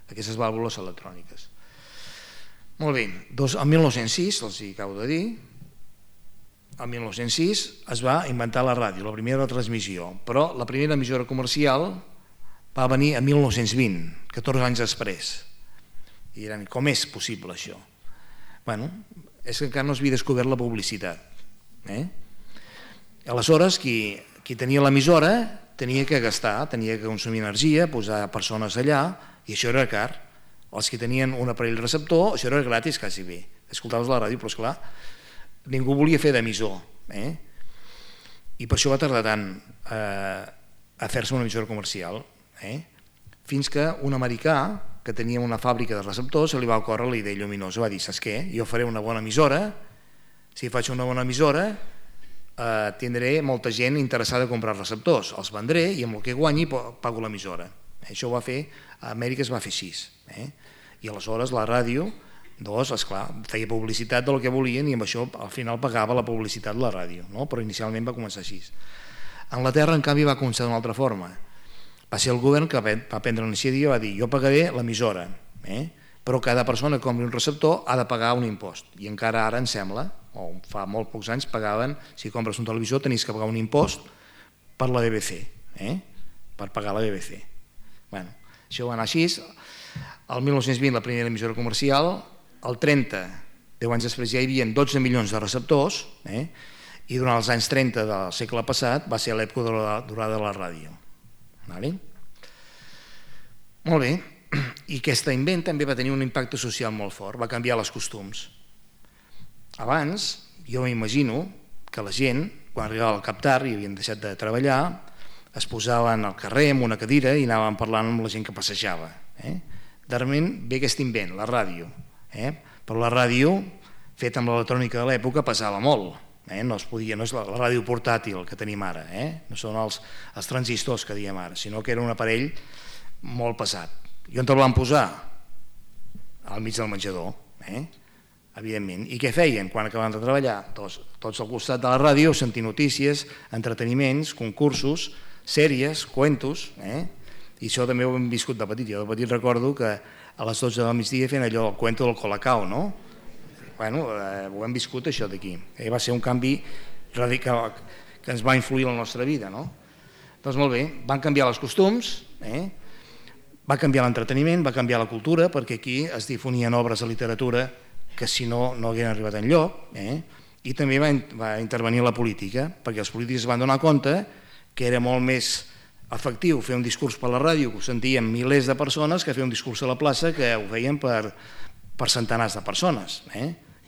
aquestes vàlvules electròniques. Molt bé, el 1906, els hi acabo de dir, el 1906 es va inventar la ràdio, la primera transmissió, però la primera emissora comercial va venir en 1920, 14 anys després. I diran, com és possible això? Bé, és que encara no s'havia descobert la publicitat. Aleshores, qui tenia l'emissora tenia que gastar, tenia que consumir energia, posar persones allà, i això era car. Els que tenien un aparell receptor, això era gratis quasi bé. Escoltaves la ràdio, però esclar, ningú volia fer d'emissor. I per això va tardar tant a fer-se una emissora comercial. Fins que un americà que tenia una fàbrica de receptors se li va ocórrer la idea lluminosa, va dir, saps què? Jo faré una bona emissora, si faig una bona emissora tindré molta gent interessada a comprar receptors, els vendré i amb el que guanyi pago l'emissora. Això ho va fer, a Amèrica es va fer així. I aleshores la ràdio, esclar, feia publicitat del que volien i amb això al final pagava la publicitat de la ràdio, però inicialment va començar així. A Anglaterra, en canvi, va començar d'una altra forma. Va ser el govern que va prendre la iniciativa i va dir jo pagaré l'emissora, però cada persona que compri un receptor ha de pagar un impost. I encara ara, em sembla, o fa molt pocs anys, pagaven, si compres un televisor tenies que pagar un impost per la BBC, per pagar la BBC. Això va anar així. El 1920 la primera emissora comercial, el 30, 10 anys després ja hi havia 12 milions de receptors, i durant els anys 30 del segle passat va ser l'època dorada de la ràdio. Molt bé, i aquest invent també va tenir un impacte social molt fort, va canviar els costums. Abans, jo m'imagino que la gent, quan arribava al cap tard i havien deixat de treballar, es posaven al carrer amb una cadira i anaven parlant amb la gent que passejava. Darrerament ve aquest invent, la ràdio, però la ràdio, feta amb l'electrònica de l'època, pesava molt. No és la ràdio portàtil que tenim ara, no són els transistors que diem ara, sinó que era un aparell molt pesat. I on el van posar? Al mig del menjador, evidentment. I què feien quan acabaven de treballar? Tots al costat de la ràdio, sentir notícies, entreteniments, concursos, sèries, cuentos, i això també ho hem viscut de petit. Jo de petit recordo que a les 12 del migdia feien allò, el cuento del Colacao, no? Ho hem viscut això d'aquí. Va ser un canvi radical que ens va influir en la nostra vida. Doncs molt bé, van canviar els costums, va canviar l'entreteniment, va canviar la cultura, perquè aquí es difonien obres de literatura que si no, no hagueren arribat enlloc, i també va intervenir la política, perquè els polítics es van donar compte que era molt més efectiu fer un discurs per la ràdio, que ho sentien milers de persones, que fer un discurs a la plaça, que ho feien per centenars de persones.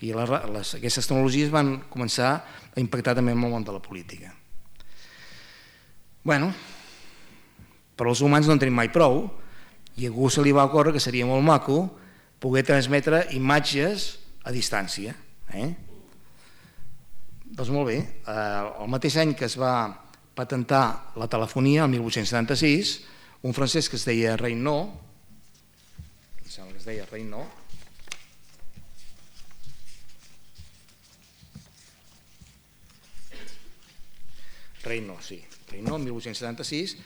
I aquestes tecnologies van començar a impactar també en el món de la política. Però els humans no en tenim mai prou i a algú se li va ocórrer que seria molt maco poder transmetre imatges a distància. Doncs molt bé, el mateix any que es va patentar la telefonia, el 1876, un francès que es deia Reynaud, Reynaud, 1876,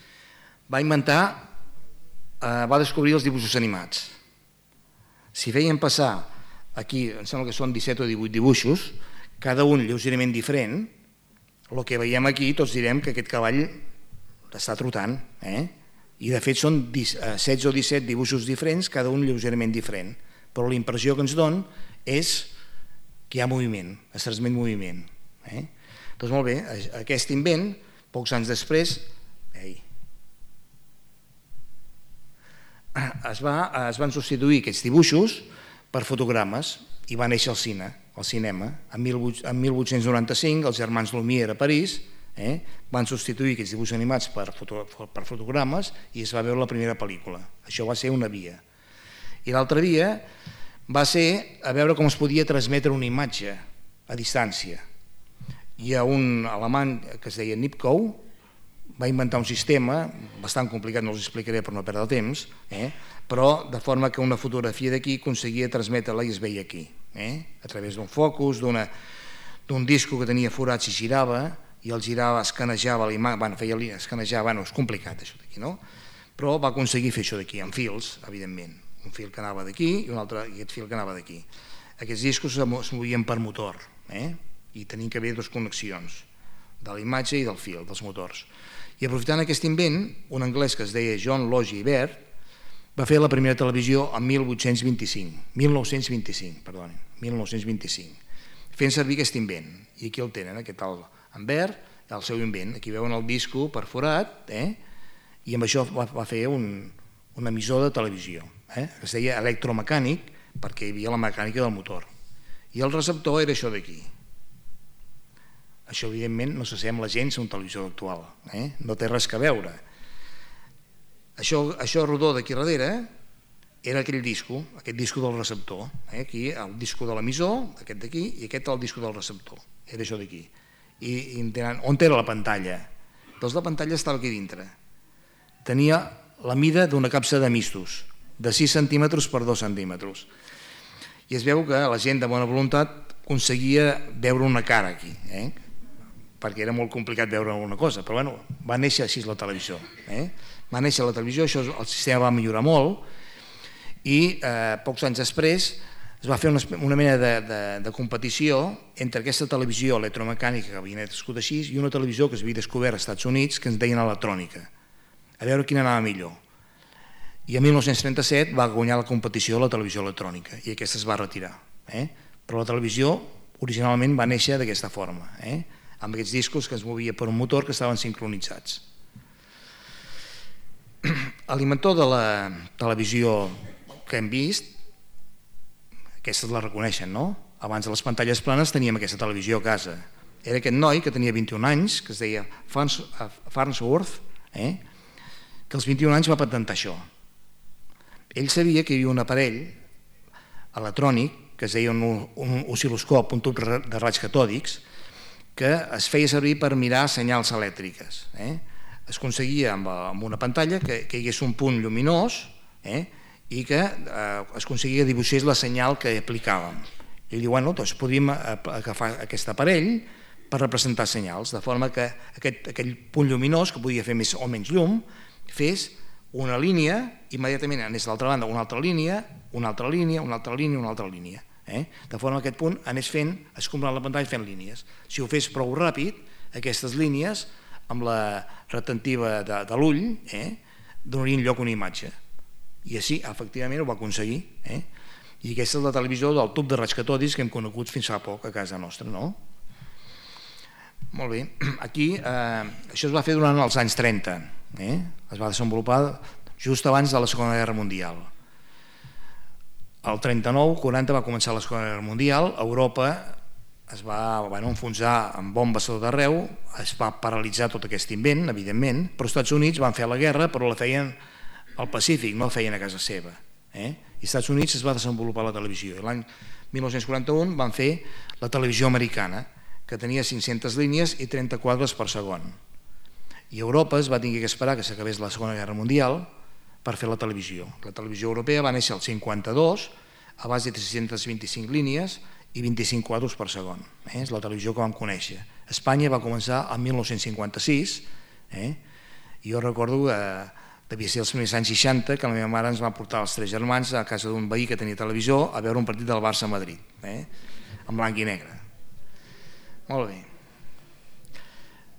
va descobrir els dibuixos animats. Si feien passar, aquí em sembla que són 17 o 18 dibuixos, cada un lleugerament diferent, el que veiem aquí tots direm que aquest cavall està trotant, i de fet són 16 o 17 dibuixos diferents, cada un lleugerament diferent, però la impressió que ens dona és que hi ha moviment, es transmet moviment. Doncs molt bé, aquest invent, pocs anys després, es van substituir aquests dibuixos per fotogrames i va néixer el cinema. En 1895 els germans Lumière a París van substituir aquests dibuixos animats per fotogrames i es va veure la primera pel·lícula. Això va ser una via. I l'altra via va ser a veure com es podia transmetre una imatge a distància. Hi ha un alemany que es deia Nipkow, va inventar un sistema bastant complicat, no us explicaré per no perdre temps, però de forma que una fotografia d'aquí aconseguia transmetre-la i es veia aquí, a través d'un focus, d'un disco que tenia forats i girava, i el girava, escanejava l'imatge, és complicat això d'aquí, no? Però va aconseguir fer això d'aquí, amb fils, evidentment, un fil que anava d'aquí i un altre, i aquest fil que anava d'aquí. Aquests discos es movien per motor, i tenien que haver dues connexions, de la imatge i del fil, dels motors. I aprofitant aquest invent, un anglès que es deia John Logie Baird va fer la primera televisió en 1925, fent servir aquest invent. I aquí el tenen, aquest tal en Baird, el seu invent. Aquí veuen el disco perforat, i amb això va fer un emissor de televisió, que es deia electromecànic, perquè hi havia la mecànica del motor. I el receptor era això d'aquí. Això, evidentment, no s'assembla gens a un televisor actual, no té res a veure. Això rodó d'aquí darrere era aquell disco, aquest disco del receptor. Aquí el disco de l'emissor, aquest d'aquí, i aquest el disco del receptor. Era això d'aquí. I on era la pantalla? Doncs la pantalla estava aquí dintre. Tenia la mida d'una capsa de mistos, de 6 centímetres per 2 centímetres. I es veu que la gent de bona voluntat aconseguia veure una cara aquí, perquè era molt complicat veure alguna cosa, però bueno, va néixer així la televisió. Va néixer la televisió, això, el sistema va millorar molt, i pocs anys després es va fer una mena de competició entre aquesta televisió electromecànica que havia nascut així i una televisió que s'havia descobert als Estats Units que ens deien electrònica, a veure quina anava millor. I en 1937 va guanyar la competició de la televisió electrònica i aquesta es va retirar. Però la televisió originalment va néixer d'aquesta forma, amb aquests discos que es movia per un motor que estaven sincronitzats. L'inventor de la televisió que hem vist, aquestes la reconeixen, no? Abans de les pantalles planes teníem aquesta televisió a casa. Era aquest noi que tenia 21 anys, que es deia Farnsworth, que als 21 anys va patentar això. Ell sabia que hi havia un aparell electrònic que es deia un oscil·loscop, un tub de raigs catòdics, que es feia servir per mirar senyals elèctriques. Es aconseguia amb una pantalla que hi hagués un punt lluminós i que es aconseguia dibuixar la senyal que aplicàvem. I diu, bueno, doncs podríem agafar aquest aparell per representar senyals, de forma que aquell punt lluminós, que podia fer més o menys llum, fes una línia, immediatament anés a l'altra banda una altra línia, una altra línia, una altra línia, una altra línia. De forma que aquest punt anés fent, escombrant la pantalla fent línies. Si ho fes prou ràpid, aquestes línies, amb la retentiva de l'ull, donarien lloc a una imatge. I així, efectivament, ho va aconseguir. I aquesta és la televisió del tub de raigs catòdics que hem conegut fins fa poc a casa nostra, no? Molt bé. Aquí, això es va fer durant els anys 30. Es va desenvolupar just abans de la Segona Guerra Mundial. El 39-40 va començar la Segona Guerra Mundial, Europa es va enfonsar amb bombes a tot arreu, es va paralitzar tot aquest invent, evidentment, però els Estats Units van fer la guerra, però la feien al Pacífic, no la feien a casa seva. I als Estats Units es va desenvolupar la televisió. L'any 1941 van fer la televisió americana, que tenia 500 línies i 30 quadres per segon. I Europa es va tenir que esperar que s'acabés la Segona Guerra Mundial per fer la televisió. La televisió europea va néixer al 52, a base de 325 línies i 25 quadres per segon. És la televisió que vam conèixer. Espanya va començar el 1956, i jo recordo que devia ser els primers anys 60 que la meva mare ens va portar els 3 germans a casa d'un veí que tenia televisió a veure un partit del Barça a Madrid, en blanc i negre. Molt bé.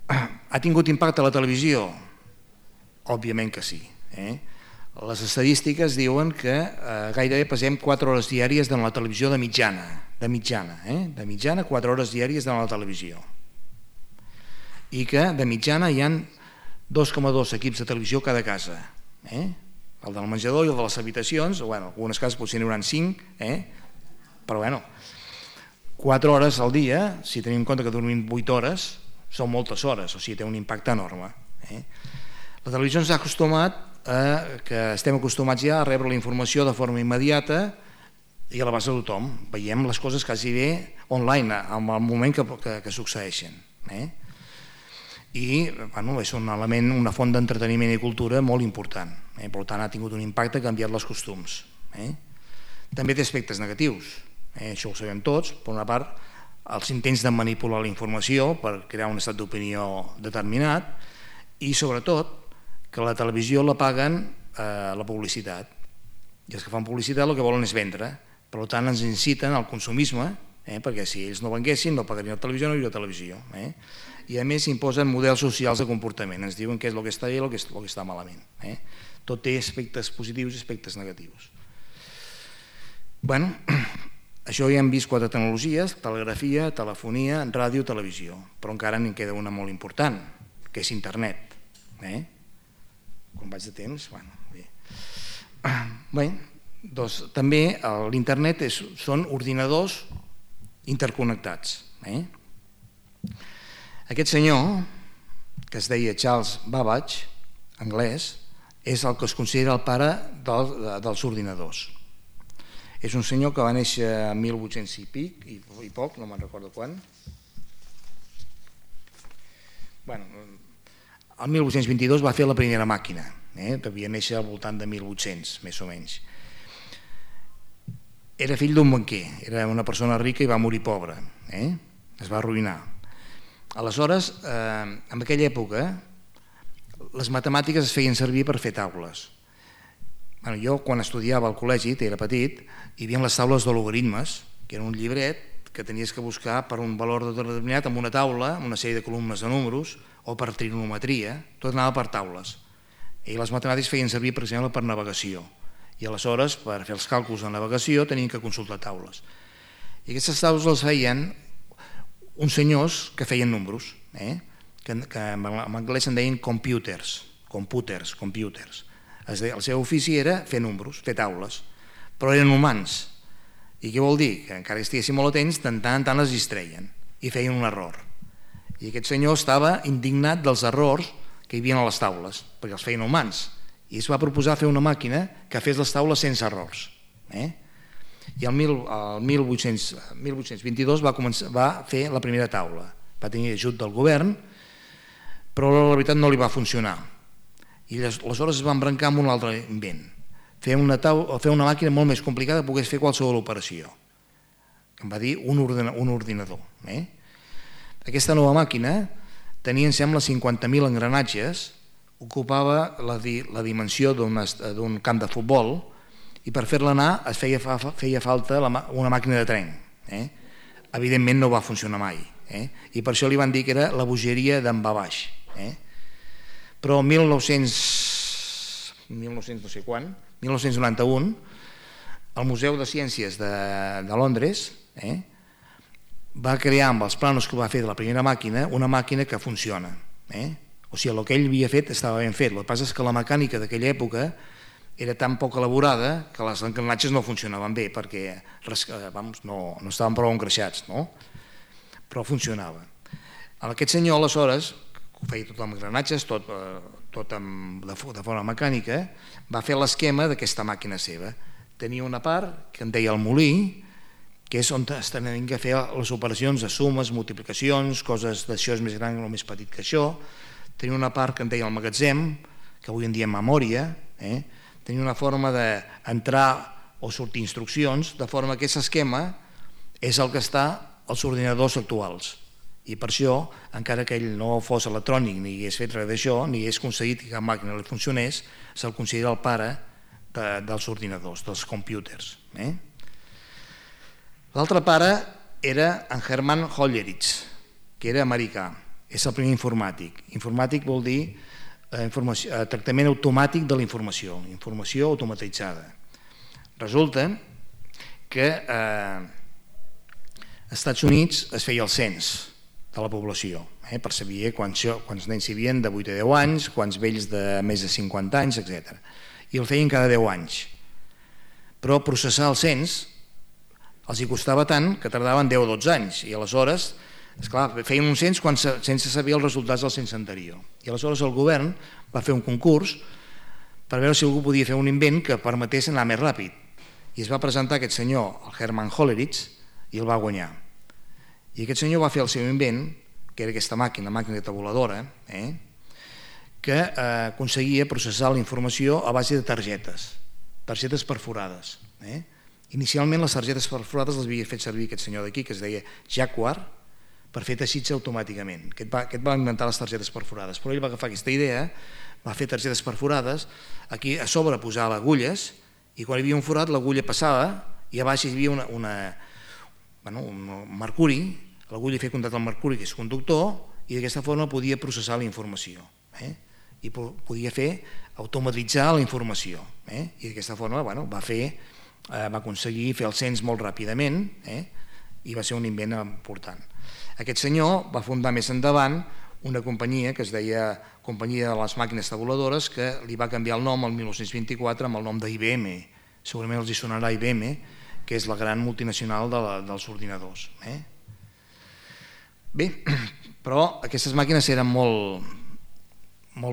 Ha tingut impacte a la televisió? Òbviament que sí. Les estadístiques diuen que gairebé passem 4 hores diàries de la televisió de mitjana, de mitjana 4 hores diàries de la televisió, i que de mitjana hi ha 2,2 equips de televisió cada casa, el del menjador i el de les habitacions, en algunes cases potser n'hi haurà 5, però 4 hores al dia, si tenim en compte que dormim 8 hores, són moltes hores, o sigui, té un impacte enorme. La televisió ens ha acostumat que estem acostumats ja a rebre la informació de forma immediata i a l'abast de tothom. Veiem les coses quasi bé online, en el moment que succeeixen. I és un element, una font d'entreteniment i cultura molt important. Per tant, ha tingut un impacte, ha canviat els costums. També té aspectes negatius, això ho sabem tots. Per una part, els intents de manipular la informació per crear un estat d'opinió determinat, i sobretot que la televisió la paguen la publicitat, i els que fan publicitat el que volen és vendre. Per tant, ens inciten al consumisme, perquè si ells no venguessin no pagarien la televisió, no hi hauria televisió. I a més imposen models socials de comportament, ens diuen què és el que està bé i el que està malament. Tot té aspectes positius i aspectes negatius. Això ja hem vist 4 tecnologies: telegrafia, telefonia, ràdio, televisió, però encara n'hi queda una molt important, que és internet. Com vaig de temps? Bé, doncs també l'internet són ordinadors interconnectats. Aquest senyor, que es deia Charles Babbage, anglès, és el que es considera el pare dels ordinadors. És un senyor que va néixer en 1800 i poc, no me'n recordo quan. El 1822 va fer la primera màquina, devia néixer al voltant de 1800, més o menys. Era fill d'un banquer, era una persona rica i va morir pobre, es va arruïnar. Aleshores, en aquella època, les matemàtiques es feien servir per fer taules. Jo, quan estudiava al col·legi, era petit, hi havia les taules de logaritmes, que era un llibret que tenies que buscar per un valor determinat amb una taula, amb una sèrie de columnes de números, o per trigonometria, tot anava per taules. I les matemàtiques feien servir, per exemple, per navegació. I aleshores, per fer els càlculs de navegació, tenien que consultar taules. I aquestes taules les feien uns senyors que feien números, que en anglès en deien computers. El seu ofici era fer números, fer taules, però eren humans. I què vol dir? Que encara que estiguessin molt atents, de tant en tant les distreien i feien un error. I aquest senyor estava indignat dels errors que hi havia a les taules, perquè els feien humans, i es va proposar fer una màquina que fes les taules sense errors. I el 1822 va fer la primera taula, va tenir ajut del govern, però la veritat no li va funcionar. I aleshores es va embrancar amb un altre invent, fer una màquina molt més complicada que pogués fer qualsevol operació, que en va dir un ordinador. Aquesta nova màquina tenia, em sembla, 50.000 engranatges, ocupava la dimensió d'un camp de futbol, i per fer-la anar es feia falta una màquina de tren. Evidentment no va funcionar mai, i per això li van dir que era la bogeria d'en Babbage. Però el 1991, el Museu de Ciències de Londres va crear, amb els planos que va fer de la primera màquina, una màquina que funciona. O sigui, el que ell havia fet estava ben fet. El que passa és que la mecànica d'aquella època era tan poc elaborada que les engranatges no funcionaven bé, perquè no estaven prou engreixats, però funcionava. Aquest senyor, aleshores, ho feia tot amb engranatges, tot de forma mecànica, va fer l'esquema d'aquesta màquina seva. Tenia una part que en deia el molí, que és on es tenien que fer les operacions de sumes, multiplicacions, coses d'això és més gran o més petit que això. Tenia una part que en deia el magatzem, que avui en dia memòria. Tenia una forma d'entrar o sortir instruccions, de forma que aquest esquema és el que està als ordinadors actuals. I per això, encara que ell no fos electrònic ni hagués fet res d'això, ni hagués aconseguit que cap màquina li funcionés, se'l considera el pare dels ordinadors, dels computers. L'altre pare era en Hermann Hollerith, que era americà, és el primer informàtic. Informàtic vol dir tractament automàtic de la informació, informació automatitzada. Resulta que als Estats Units es feia el cens de la població, per saber quants nens hi havia de 8 a 10 anys, quants vells de més de 50 anys, etc. I el feien cada 10 anys. Però processar el cens els hi costava tant que tardaven 10 o 12 anys, i aleshores, esclar, feien un cens sense saber els resultats del cens anterior. I aleshores el govern va fer un concurs per veure si algú podia fer un invent que permetés anar més ràpid. I es va presentar aquest senyor, el Herman Hollerith, i el va guanyar. I aquest senyor va fer el seu invent, que era aquesta màquina tabuladora, que aconseguia processar la informació a base de targetes perforades. Inicialment les targetes perforades les havia fet servir aquest senyor d'aquí, que es deia Jacquard, per fer teixits automàticament. Aquest va inventar les targetes perforades, però ell va agafar aquesta idea, va fer targetes perforades, aquí a sobre posava agulles, i quan hi havia un forat l'agulla passava i a baix hi havia un mercuri, l'agulla feia contacte amb el mercuri, que és conductor, i d'aquesta forma podia processar la informació i podia fer automatitzar la informació, i d'aquesta forma va aconseguir fer el cens molt ràpidament i va ser un invent important. Aquest senyor va fundar més endavant una companyia que es deia Companyia de les Màquines Tabuladores, que li va canviar el nom el 1924 amb el nom d'IBM. Segurament els hi sonarà IBM, que és la gran multinacional dels ordinadors. Bé, però aquestes màquines eren molt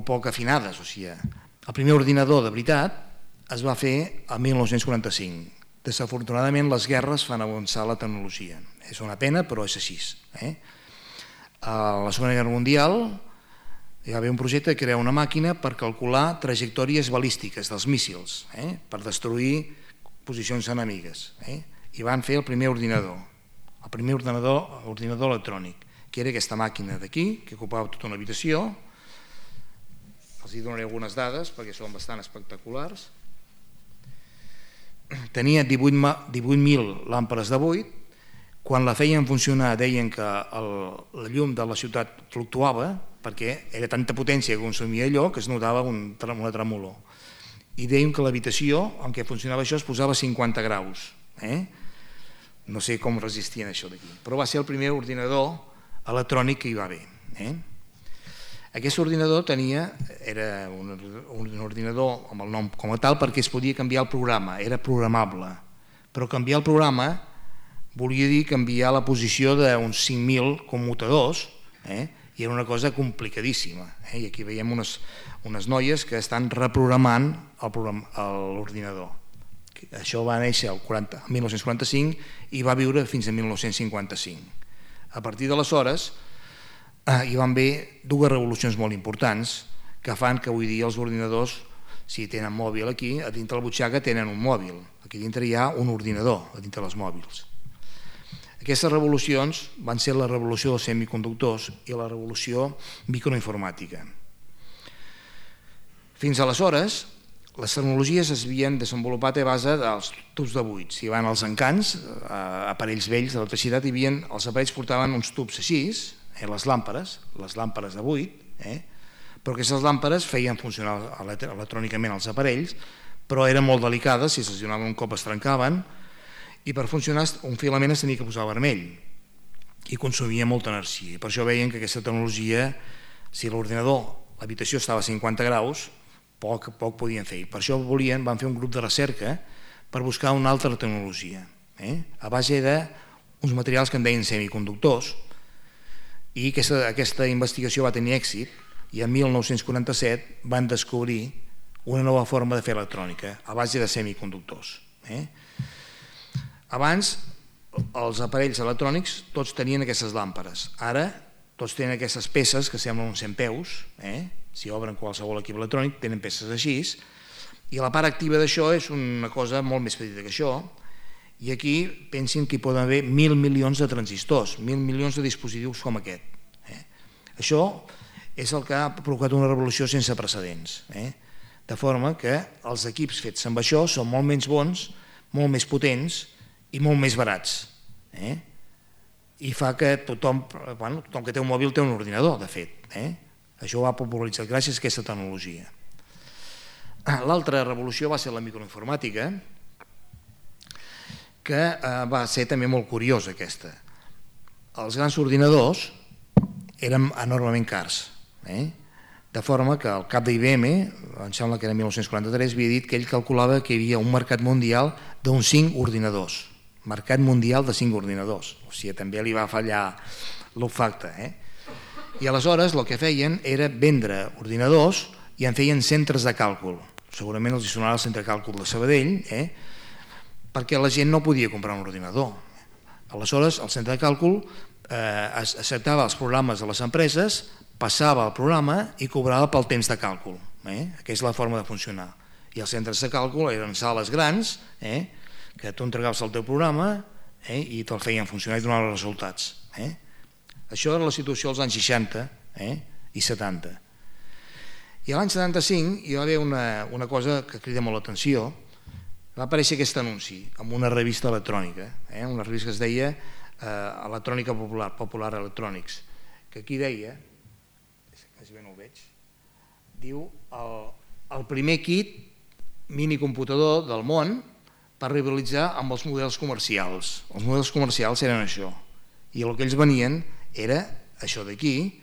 poc afinades. O sigui, el primer ordinador de veritat es va fer el 1945. Desafortunadament les guerres fan avançar la tecnologia. És una pena, però és així. A la Segona Guerra Mundial hi va haver un projecte de crear una màquina per calcular trajectòries balístiques dels míssils, per destruir posicions enemigues. I van fer el primer ordinador electrònic, que era aquesta màquina d'aquí, que ocupava tota una habitació. Els hi donaré algunes dades perquè són bastant espectaculars. Tenia 18.000 làmpades de buit. Quan la feien funcionar deien que la llum de la ciutat fluctuava perquè era tanta potència que consumia allò que es notava una tremolor. I deien que l'habitació en què funcionava això es posava a 50 graus. No sé com resistien això d'aquí, però va ser el primer ordinador electrònic que hi va haver. Aquest ordinador era un ordinador amb el nom com a tal perquè es podia canviar el programa, era programable, però canviar el programa volia dir canviar la posició d'uns 5.000 commutadors, i era una cosa complicadíssima. I aquí veiem unes noies que estan reprogramant l'ordinador. Això va néixer el 1945 i va viure fins a 1955. A partir d'aleshores hi van haver dues revolucions molt importants que fan que avui dia els ordinadors, si tenen mòbil aquí, a dintre la butxaca tenen un mòbil. Aquí dintre hi ha un ordinador, a dintre dels mòbils. Aquestes revolucions van ser la revolució dels semiconductors i la revolució microinformàtica. Fins aleshores, les tecnologies es havien desenvolupat a base dels tubs de buit. Si van als encants, aparells vells de l'electricitat, els aparells portaven uns tubs així, les làmpades de buit, però aquestes làmpades feien funcionar electrònicament els aparells, però eren molt delicades, si se'ls donava un cop es trencaven, i per funcionar un filament es tenia que posar vermell i consumia molta energia. Per això veien que aquesta tecnologia, si l'ordinador, l'habitació estava a 50 graus, poc podien fer. Per això van fer un grup de recerca per buscar una altra tecnologia, a base d'uns materials que en deien semiconductors, i aquesta investigació va tenir èxit i en 1947 van descobrir una nova forma de fer electrònica a base de semiconductors. Abans, els aparells electrònics tots tenien aquestes làmpades. Ara, tots tenen aquestes peces que semblen uns centpeus. Si obren qualsevol equip electrònic, tenen peces així. I la part activa d'això és una cosa molt més petita que això. I aquí pensin que hi poden haver 1.000 milions de transistors, 1.000 milions de dispositius com aquest. Això és el que ha provocat una revolució sense precedents. De forma que els equips fets amb això són molt menys bons, molt més potents i molt més barats. I fa que tothom que té un mòbil té un ordinador, de fet. Això ho ha popularitzat gràcies a aquesta tecnologia. L'altra revolució va ser la microinformàtica, que va ser també molt curiosa aquesta. Els grans ordinadors eren enormement cars, de forma que el cap d'IBM, em sembla que era 1943, havia dit que ell calculava que hi havia un mercat mundial d'uns 5 ordinadors. Mercat mundial de 5 ordinadors. O sigui, també li va fallar l'olfacte. I aleshores el que feien era vendre ordinadors i en feien centres de càlcul. Segurament els sonarà el centre de càlcul de Sabadell, perquè la gent no podia comprar un ordinador. Aleshores, el centre de càlcul acceptava els programes de les empreses, passava el programa i cobrava pel temps de càlcul. Aquesta és la forma de funcionar. I els centres de càlcul eren sales grans, que tu entregaves el teu programa i te'l feien funcionar i donaven els resultats. Això era la situació als anys 60 i 70. I l'any 75 hi va haver una cosa que crida molt l'atenció. Va aparèixer aquest anunci en una revista electrònica, una revista que es deia Electrònica Popular, Popular Electronics, que aquí deia, quasi bé no ho veig, diu el primer kit minicomputador del món per rivalitzar amb els models comercials. Els models comercials eren això, i el que ells venien era això d'aquí,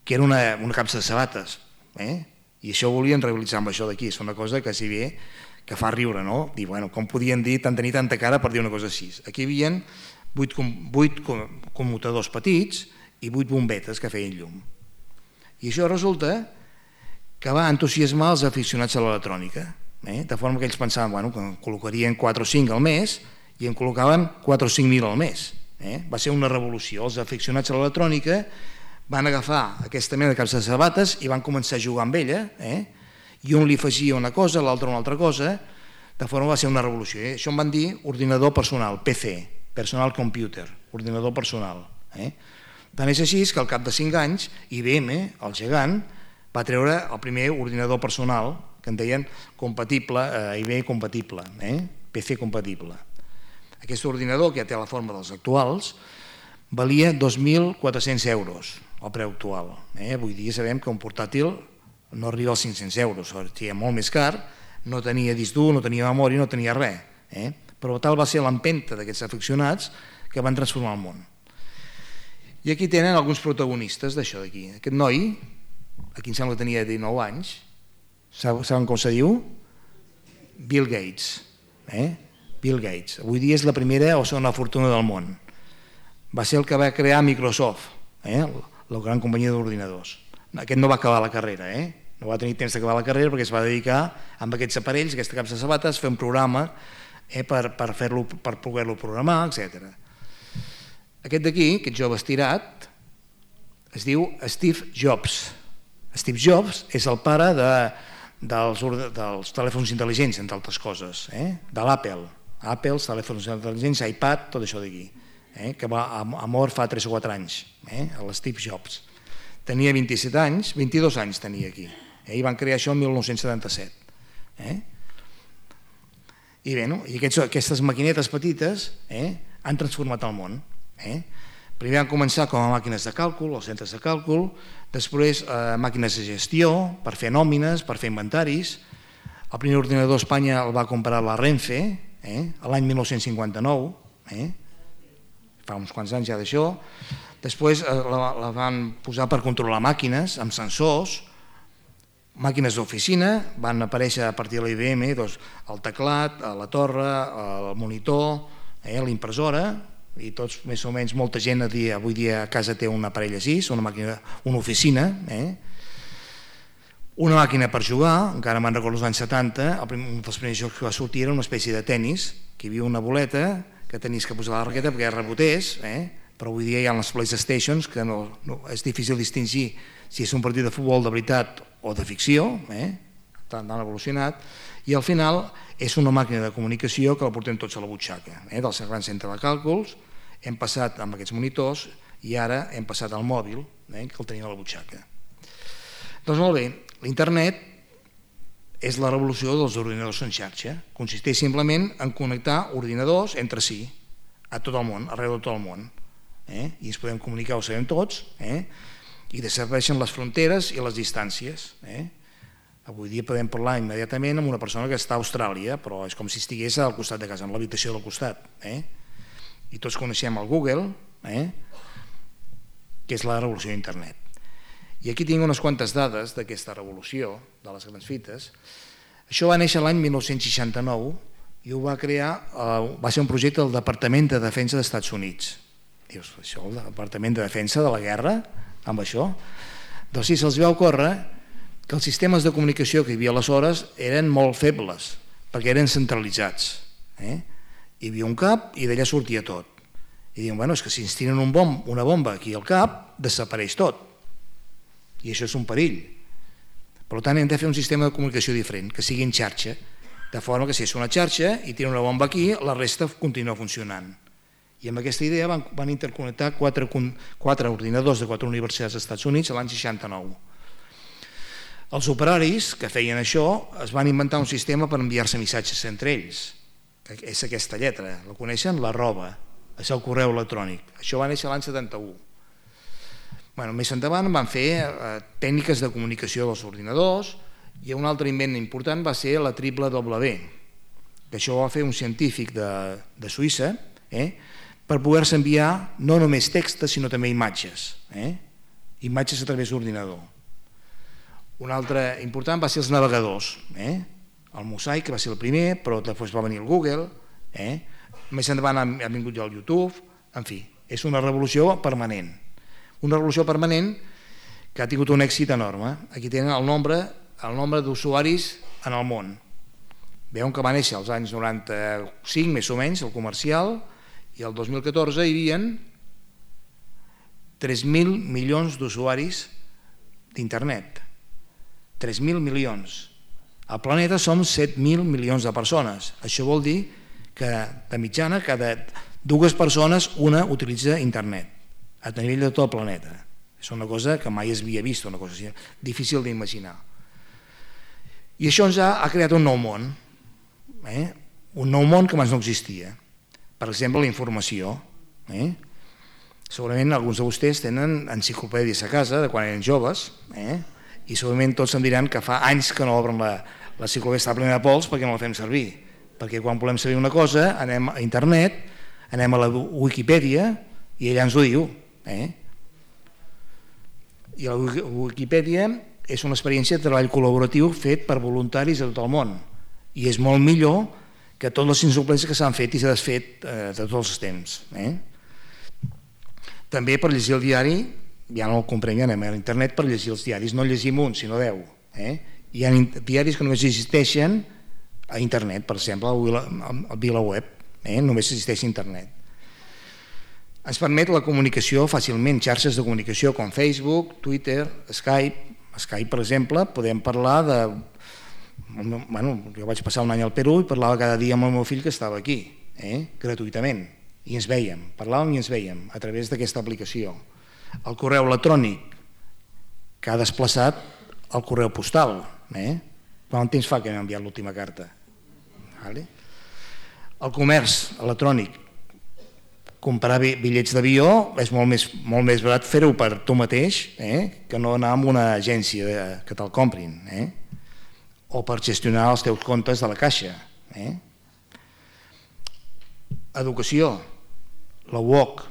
que era una capsa de sabates, i això ho volien rivalitzar amb això d'aquí. És una cosa que si bé que fa riure, no? Dir, bueno, com podien tenir tanta cara per dir una cosa així? Aquí hi havia 8 commutadors petits i 8 bombetes que feien llum. I això resulta que va entusiasmar els aficionats a l'electrònica, de forma que ells pensaven que en col·locarien 4 o 5 al mes i en col·locaven 4 o 5.000 al mes. Va ser una revolució. Els aficionats a l'electrònica van agafar aquesta mena de capsa de sabates i van començar a jugar amb ella, i un li afegia una cosa, l'altre una altra cosa, de forma que va ser una revolució. Això en van dir ordinador personal, PC, Personal Computer, ordinador personal. Tant és així que al cap de 5 anys IBM, el gegant, va treure el primer ordinador personal, que en deien compatible, IBM compatible, PC compatible. Aquest ordinador, que ja té la forma dels actuals, valia 2.400 euros, el preu actual. Avui dia sabem que un portàtil no arriba als 500 euros, era molt més car, no tenia disc dur, no tenia memòria, no tenia res. Però tal va ser l'empenta d'aquests aficionats que van transformar el món. I aquí tenen alguns protagonistes d'això d'aquí. Aquest noi, aquí em sembla que tenia 19 anys, saben com se diu? Bill Gates. Bill Gates. Avui dia és la primera o segona fortuna del món. Va ser el que va crear Microsoft, la gran companyia d'ordinadors. Aquest no va acabar la carrera, no va tenir temps d'acabar la carrera perquè es va dedicar amb aquests aparells, aquesta capsa de sabates, a fer un programa per poder-lo programar, etc. Aquest d'aquí, aquest jove estirat, es diu Steve Jobs. Steve Jobs és el pare dels telèfons intel·ligents, entre altres coses, de l'Apple. Apple, els telèfons intel·ligents, iPad, tot això d'aquí, que ha mort fa 3 o 4 anys, l'Steve Jobs. Tenia 27 anys, 22 anys tenia aquí, i van crear això el 1977. I bé, i aquestes maquinetes petites han transformat el món. Primer van començar com a màquines de càlcul, els centres de càlcul, després màquines de gestió, per fer nòmines, per fer inventaris. El primer ordinador a Espanya el va comprar la Renfe, l'any 1959, fa uns quants anys ja d'això. Després la van posar per controlar màquines amb sensors, màquines d'oficina, van aparèixer a partir de l'IBM el teclat, la torre, el monitor, l'impressora, i tots més o menys, molta gent avui dia a casa té un aparell així, una oficina, una màquina per jugar, encara me'n recordo als anys 70, un dels primers jocs que va sortir era una espècie de tennis, que hi havia una boleta que tenies que posar la raqueta perquè rebotés, però avui dia hi ha les PlayStations que és difícil distingir si és un partit de futbol de veritat o de ficció, tan evolucionat, i al final és una màquina de comunicació que la portem tots a la butxaca, del gran centre de càlculs, hem passat amb aquests monitors i ara hem passat al mòbil, que el tenim a la butxaca. Doncs molt bé, l'internet és la revolució dels ordinadors en xarxa, consisteix simplement en connectar ordinadors entre si, a tot el món, arreu de tot el món, i ens podem comunicar, ho sabem tots, i desapareixen les fronteres i les distàncies. Avui dia podem parlar immediatament amb una persona que està a Austràlia, però és com si estigués al costat de casa, en l'habitació del costat. I tots coneixem el Google, que és la revolució d'internet. I aquí tinc unes quantes dades d'aquesta revolució de les grans fites. Això va néixer l'any 1969 i ho va crear, va ser un projecte del Departament de Defensa dels Estats Units. Dius, això, el Departament de Defensa de la guerra, amb això? Doncs sí, se'ls va ocórrer que els sistemes de comunicació que hi havia aleshores eren molt febles, perquè eren centralitzats. Hi havia un cap i d'allà sortia tot. I diuen, bueno, és que si ens tiren una bomba aquí al cap, desapareix tot. I això és un perill. Per tant, hem de fer un sistema de comunicació diferent, que sigui en xarxa, de forma que si és una xarxa i tira una bomba aquí, la resta continua funcionant. I amb aquesta idea van interconnectar 4 ordinadors de 4 universitats dels Estats Units l'any 69. Els operaris que feien això es van inventar un sistema per enviar-se missatges entre ells. És aquesta lletra, la coneixen? L'arroba, és el correu electrònic. Això va néixer l'any 71. Més endavant van fer tècniques de comunicació dels ordinadors i un altre invent important va ser la triple W, que això ho va fer un científic de Suïssa per poder-se enviar no només textos sinó també imatges, imatges a través d'ordinador. Un altre important va ser els navegadors, el Mosaic que va ser el primer, però després va venir el Google, més endavant ha vingut ja el YouTube, en fi, és una revolució permanent. Una revolució permanent que ha tingut un èxit enorme. Aquí tenen el nombre d'usuaris en el món. Veuen que va néixer als anys 95, més o menys, el comercial, i el 2014 hi havia 3.000 milions d'usuaris d'internet. 3.000 milions. Al planeta som 7.000 milions de persones. Això vol dir que de mitjana cada 2 persones una utilitza internet a nivell de tot el planeta. És una cosa que mai es havia vist, una cosa així, difícil d'imaginar. I això ens ha creat un nou món, un nou món que abans no existia. Per exemple, la informació. Segurament alguns de vostès tenen enciclopèdies a casa de quan eren joves, i segurament tots em diran que fa anys que no obren l'enciclopèdia, està plena de pols perquè no la fem servir. Perquè quan volem saber una cosa anem a internet, anem a la Wikipedia i ella ens ho diu. I la Wikipedia és una experiència de treball col·laboratiu fet per voluntaris de tot el món i és molt millor que totes les enciclopèdies que s'han fet i s'ha desfet de tots els temps. També per llegir el diari, ja no el comprem, ja anem a internet per llegir els diaris, no llegim un sinó 10. Hi ha diaris que només existeixen a internet, per exemple el VilaWeb, només existeix a internet. Ens permet la comunicació fàcilment, xarxes de comunicació com Facebook, Twitter, Skype. Skype, per exemple, podem parlar de... Jo vaig passar un any al Perú i parlava cada dia amb el meu fill que estava aquí, gratuïtament, i ens vèiem, parlàvem i ens vèiem a través d'aquesta aplicació. El correu electrònic que ha desplaçat el correu postal. Quant temps fa que hem enviat l'última carta? El comerç electrònic, comprar bitllets d'avió és molt més barat fer-ho per tu mateix que no anar a una agència que te'l comprin o per gestionar els teus comptes de la caixa. Educació, la UOC,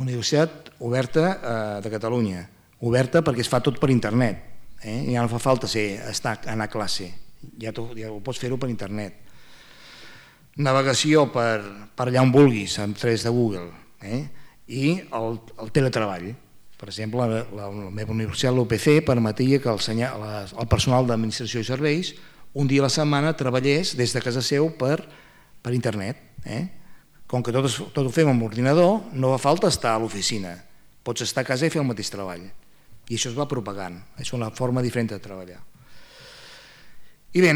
Universitat Oberta de Catalunya, oberta perquè es fa tot per internet, ja no fa falta anar a classe, ja ho pots fer-ho per internet. Navegació per allà on vulguis a través de Google i el teletreball. Per exemple, la meva universitat, l'UPC, permetia que el personal d'administració i serveis un dia a la setmana treballés des de casa seu per internet. Com que tot ho fem amb ordinador, no fa falta estar a l'oficina. Pots estar a casa i fer el mateix treball. I això es va propagant. És una forma diferent de treballar. I bé,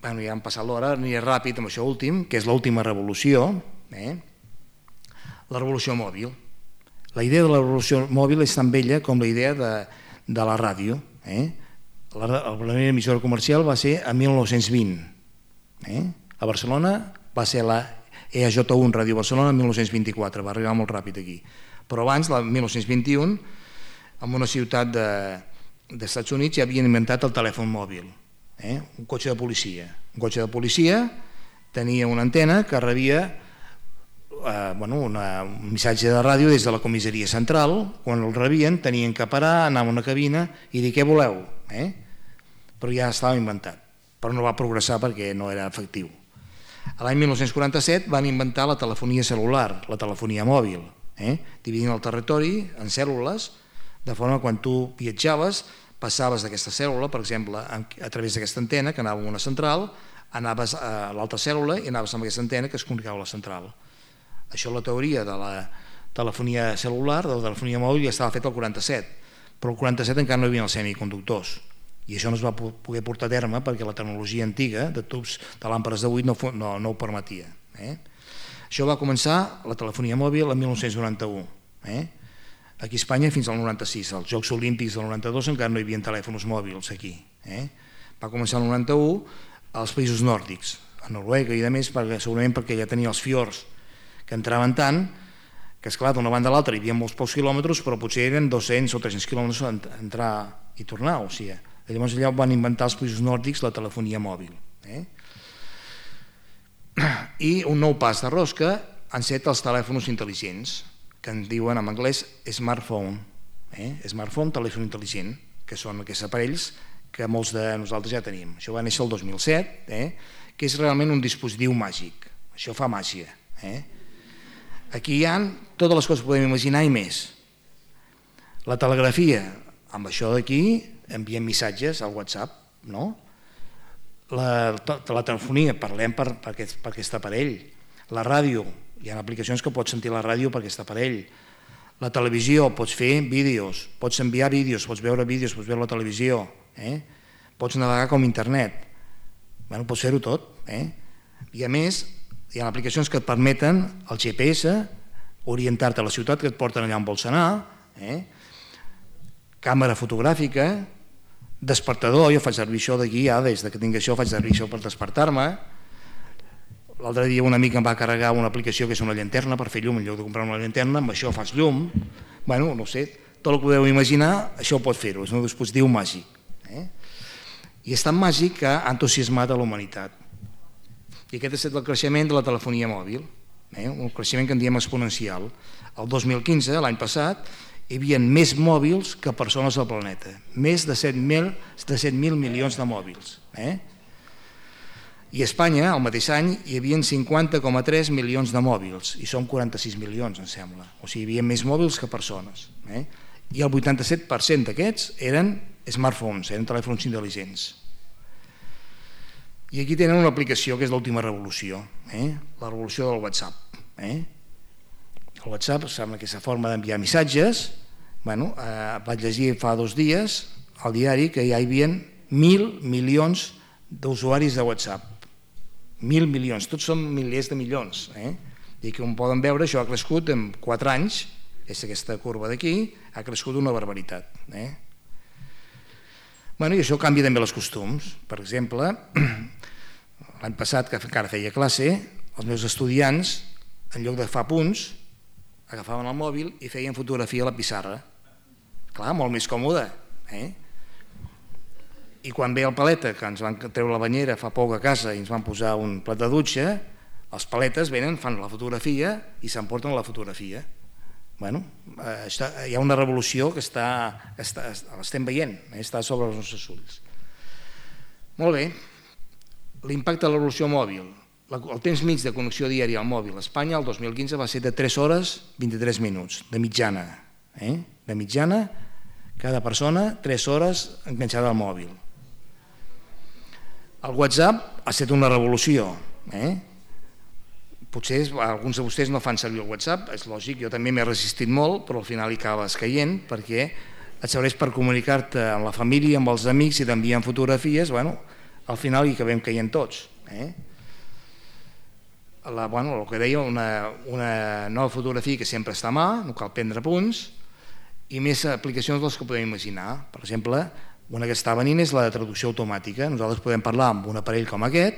ja hem passat l'hora, aniré ràpid amb això últim, que és l'última revolució, la revolució mòbil. La idea de la revolució mòbil és tan vella com la idea de la ràdio. La primera emissora comercial va ser en 1920. A Barcelona va ser la EAJ1 Ràdio Barcelona en 1924, va arribar molt ràpid aquí. Però abans, el 1921, en una ciutat dels Estats Units ja havien inventat el telèfon mòbil, un cotxe de policia. Un cotxe de policia tenia una antena que rebia un missatge de ràdio des de la comissaria central. Quan el rebien tenien que parar, anar a una cabina i dir què voleu, però ja estava inventat, però no va progressar perquè no era efectiu. L'any 1947 van inventar la telefonia celular, la telefonia mòbil, dividint el territori en cèl·lules, de forma que quan tu viatjaves passaves d'aquesta cèl·lula, per exemple, a través d'aquesta antena que anava a una central, anaves a l'altra cèl·lula i anaves amb aquesta antena que es comunicava a la central. Això la teoria de la telefonia celular, de la telefonia mòbil, ja estava fet el 47, però el 47 encara no hi havia els semiconductors i això no es va poder portar a terme perquè la tecnologia antiga de tubs de làmpades de buit no ho permetia. Això va començar, la telefonia mòbil, en 1991. Aquí a Espanya fins al 96, als Jocs Olímpics del 92 encara no hi havia telèfons mòbils aquí. Va començar el 91 als països nòrdics, a Noruega i a més, segurament perquè ja tenia els fiords que entraven tant que, esclar, d'una banda a l'altra hi havia molts pocs quilòmetres, però potser eren 200 o 300 quilòmetres entrar i tornar. O sigui, llavors allà van inventar els països nòrdics la telefonia mòbil. I un nou pas de rosca han set els telèfons intel·ligents, que en diuen en anglès smartphone. Smartphone, telèfon intel·ligent, que són aquests aparells que molts de nosaltres ja tenim. Això va néixer el 2007, que és realment un dispositiu màgic. Això fa màgia. Aquí hi ha totes les coses que podem imaginar i més. La telegrafia, amb això d'aquí enviem missatges al WhatsApp, no? La telefonia, parlem per aquest aparell. La ràdio, hi ha aplicacions que pots sentir la ràdio per aquest aparell. La televisió, pots fer vídeos, pots enviar vídeos, pots veure vídeos, pots veure la televisió, pots navegar com internet, pots fer-ho tot. I a més, hi ha aplicacions que et permeten el GPS, orientar-te a la ciutat, que et porten allà on vols anar, càmera fotogràfica, despertador. Jo faig servir això d'aquí, des que tinc això faig servir això per despertar-me. L'altre dia un amic em va carregar una aplicació que és una llanterna per fer llum, en lloc de comprar una llanterna, amb això fas llum. No sé, tot el que podeu imaginar, això ho pot fer-ho, és un dispositiu màgic. I és tan màgic que ha entusiasmat a la humanitat. I aquest ha estat el creixement de la telefonia mòbil, un creixement que en diem exponencial. El 2015, l'any passat, hi havia més mòbils que persones al planeta, més de 7.000 milions de mòbils. I a Espanya, el mateix any, hi havia 50,3 milions de mòbils, i som 46 milions, em sembla. O sigui, hi havia més mòbils que persones. I el 87% d'aquests eren smartphones, eren telèfons intel·ligents. I aquí tenen una aplicació que és l'última revolució, la revolució del WhatsApp. El WhatsApp sembla que és la forma d'enviar missatges. Vaig llegir fa 2 dies al diari que ja hi havia 1.000 milions d'usuaris de WhatsApp. 1.000 milions, tots són milers de milions. I com poden veure, això ha crescut en 4 anys, és aquesta curva d'aquí, ha crescut una barbaritat. I això canvia també els costums. Per exemple, l'any passat, que encara feia classe, els meus estudiants, en lloc de fer punts, agafaven el mòbil i feien fotografia a la pissarra. Clar, molt més còmode. I quan ve el paleta, que ens van treure la banyera fa poc a casa i ens van posar un plat de dutxa, els paletes venen, fan la fotografia i s'emporten la fotografia. Hi ha una revolució que l'estem veient, està sobre els nostres ulls. Molt bé, l'impacte de la revolució mòbil. El temps mig de connexió diària al mòbil a Espanya el 2015 va ser de 3 hores 23 minuts, de mitjana. De mitjana, cada persona 3 hores enganxada al mòbil. El WhatsApp ha estat una revolució. Potser alguns de vostès no fan servir el WhatsApp, és lògic, jo també m'he resistit molt, però al final hi acabes caient perquè et serveix per comunicar-te amb la família, amb els amics i t'envien fotografies, al final hi acabem caient tots. El que deia, una nova fotografia que sempre està a mà, no cal prendre punts, i més aplicacions de les que podem imaginar. Per exemple, una que està venint és la de traducció automàtica. Nosaltres podem parlar amb un aparell com aquest,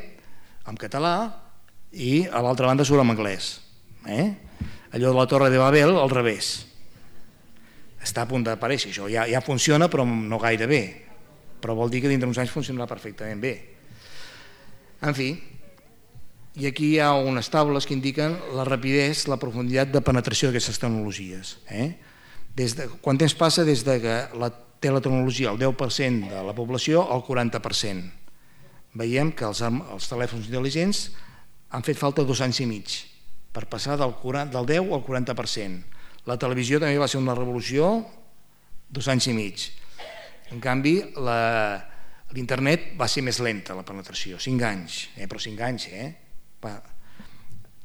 en català, i a l'altra banda surt en anglès. Allò de la Torre de Babel al revés. Està a punt d'aparèixer això, ja funciona però no gaire bé, però vol dir que dintre d'uns anys funcionarà perfectament bé. En fi, i aquí hi ha unes taules que indiquen la rapidesa, la profunditat de penetració d'aquestes tecnologies. Quant temps passa des que té la tecnologia el 10% de la població al 40%? Veiem que els telèfons intel·ligents han fet falta 2 anys i mig per passar del 10 al 40%. La televisió també va ser una revolució 2 anys i mig. En canvi, l'internet va ser més lenta, la penetració, 5 anys, però 5 anys,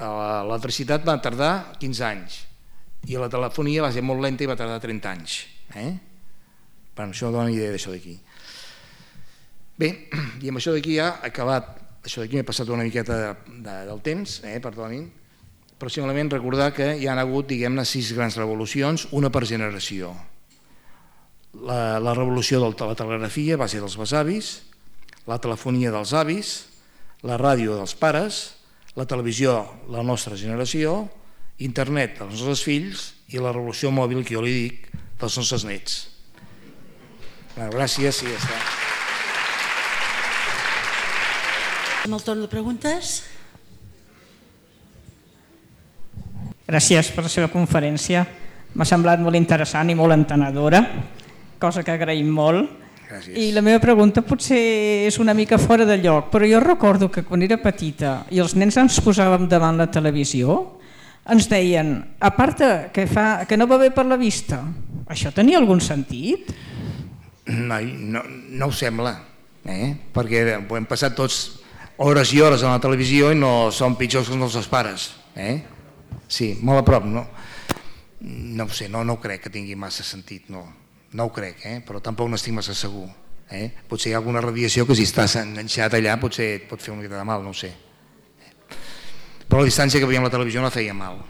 L'electricitat va tardar 15 anys i la telefonia va ser molt lenta i va tardar 30 anys. Això dona una idea d'això d'aquí. Bé, i amb això d'aquí ja ha acabat. Això d'aquí m'he passat una miqueta del temps, perdonin, però simplement recordar que hi ha hagut, diguem-ne, 6 grans revolucions, una per generació. La revolució de la telegrafia va ser dels besavis, la telefonia dels avis, la ràdio dels pares, la televisió, la nostra generació, internet dels nostres fills i la revolució mòbil, que jo li dic, dels nostres nets. Gràcies i ja està. Amb el torn de preguntes. Gràcies per la seva conferència. M'ha semblat molt interessant i molt entenedora, cosa que agraïm molt. Gràcies. I la meva pregunta potser és una mica fora de lloc, però jo recordo que quan era petita i els nens ens posàvem davant la televisió, ens deien, a part que no va bé per la vista, això tenia algun sentit? No ho sembla, perquè ho hem passat tots hores i hores a la televisió i no som pitjors que els nostres pares. Sí, molt a prop, no ho sé, no crec que tingui massa sentit, no ho crec, però tampoc n'estic massa segur. Potser hi ha alguna radiació que si estàs enganxat allà potser et pot fer una mica de mal, no ho sé. Però la distància que veiem a la televisió no feia mal.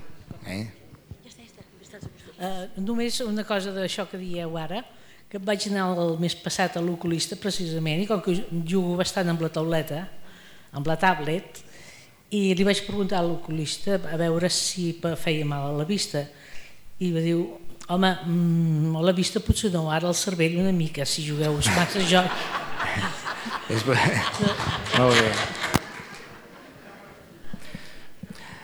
Només una cosa d'això que dieu ara, que vaig anar el mes passat a l'oculista precisament, i com que jugo bastant amb la tauleta, amb la tablet, i li vaig preguntar a l'oculista a veure si feia mal a la vista, i va dir, home, a la vista potser no, ara el cervell una mica, si jugueu massa joc. Molt bé.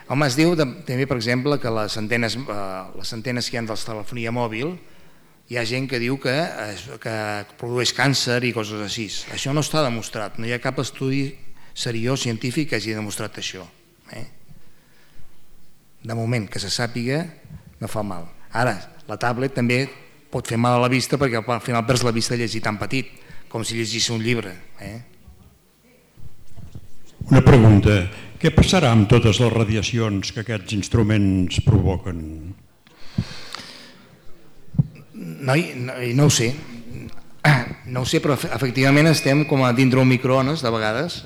Home, es diu també, per exemple, que les antenes que hi ha de la telefonia mòbil, hi ha gent que diu que produeix càncer i coses així. Això no està demostrat, no hi ha cap estudi seriós científic que hagi demostrat això. De moment, que se sàpiga, no fa mal. Ara, la tablet també pot fer mal a la vista perquè al final perds la vista llegir tan petit, com si llegís un llibre. Una pregunta. Què passarà amb totes les radiacions que aquests instruments provoquen? No ho sé. No ho sé, però efectivament estem com a dintre un microones de vegades.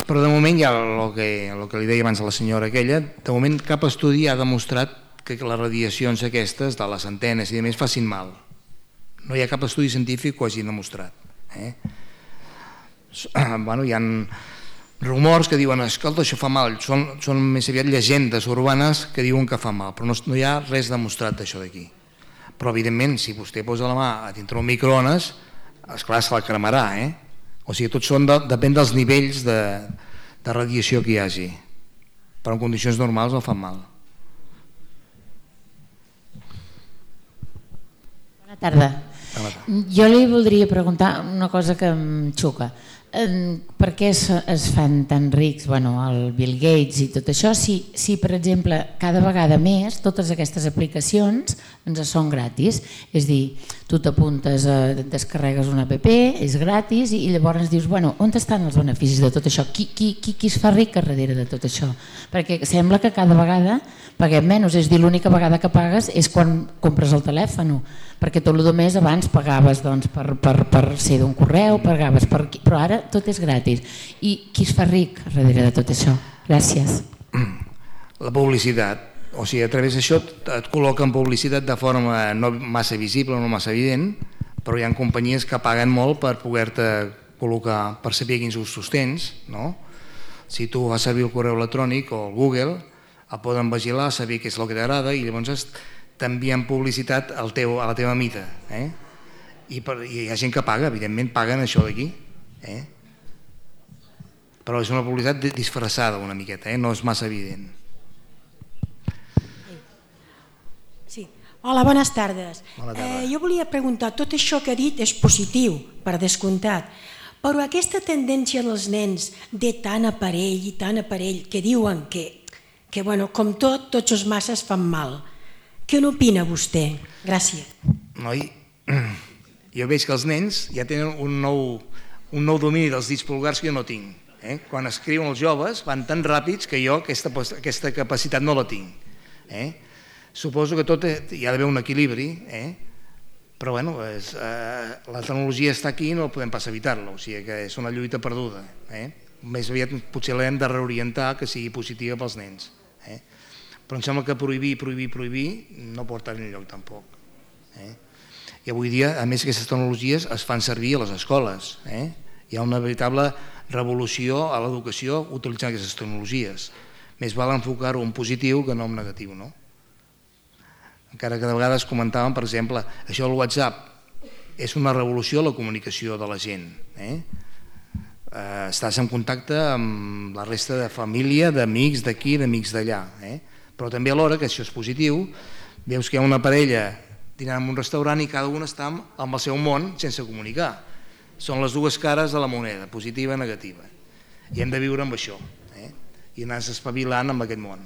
Però de moment ja el que li deia abans a la senyora aquella, de moment cap estudi ha demostrat que les radiacions aquestes de les antenes i a més facin mal. No hi ha cap estudi científic que ho hagi demostrat. Hi ha rumors que diuen, escolta, això fa mal, són més aviat llegendes urbanes que diuen que fa mal, però no hi ha res demostrat d'això d'aquí. Però evidentment, si vostè posa la mà a dintre un microones, esclar, se la cremarà. O sigui, tot depèn dels nivells de radiació que hi hagi. Però en condicions normals no fan mal. Bona tarda. Jo li voldria preguntar una cosa que em xoca. Per què es fan tan rics, el Bill Gates i tot això, si per exemple cada vegada més totes aquestes aplicacions ens són gratis? És a dir, tu t'apuntes, descarregues una app, és gratis i llavors dius, on estan els beneficis de tot això? Qui es fa ric a darrere de tot això? Perquè sembla que cada vegada paguem menys, és a dir, l'única vegada que pagues és quan compres el telèfon, perquè tot el més abans pagaves per ser d'un correu, però ara tot és gratis. I qui es fa ric a darrere de tot això? Gràcies. La publicitat. O sigui, a través d'això et col·loquen publicitat de forma no massa visible, no massa evident, però hi ha companyies que paguen molt per poder-te col·locar, per saber quins usos tens. Si tu vas servir el correu electrònic o el Google, el poden vigilar, saber què és el que t'agrada i llavors t'envien publicitat a la teva mida. I hi ha gent que paga, evidentment paguen això d'aquí. Però és una publicitat disfressada una miqueta, no és massa evident. Sí. Hola, bones tardes. Jo volia preguntar, tot això que ha dit és positiu, per descomptat, però aquesta tendència dels nens de tant aparell i tant aparell que diuen que com tots els masses fan mal, què n'opina vostè? Gràcies. Noi, jo veig que els nens ja tenen un nou domini dels dits pulgars que jo no tinc. Quan escriuen els joves van tan ràpids que jo aquesta capacitat no la tinc. Suposo que tot hi ha d'haver un equilibri, però bueno, la tecnologia està aquí i no podem pas evitar-la, o sigui que és una lluita perduda. Més aviat potser l'hem de reorientar que sigui positiva pels nens. Però em sembla que prohibir no porta enlloc tampoc. I avui dia, a més, aquestes tecnologies es fan servir a les escoles. Hi ha una veritable revolució a l'educació utilitzant aquestes tecnologies. Més val enfocar-ho en positiu que no en negatiu, no? Encara que de vegades comentàvem, per exemple, això del WhatsApp és una revolució a la comunicació de la gent. Estàs en contacte amb la resta de família, d'amics d'aquí, d'amics d'allà. Però també alhora, que això és positiu, veus que hi ha una parella dinant en un restaurant i cada un està amb el seu món sense comunicar. Són les dues cares de la moneda, positiva i negativa. I hem de viure amb això, i anar-se espavilant amb aquest món.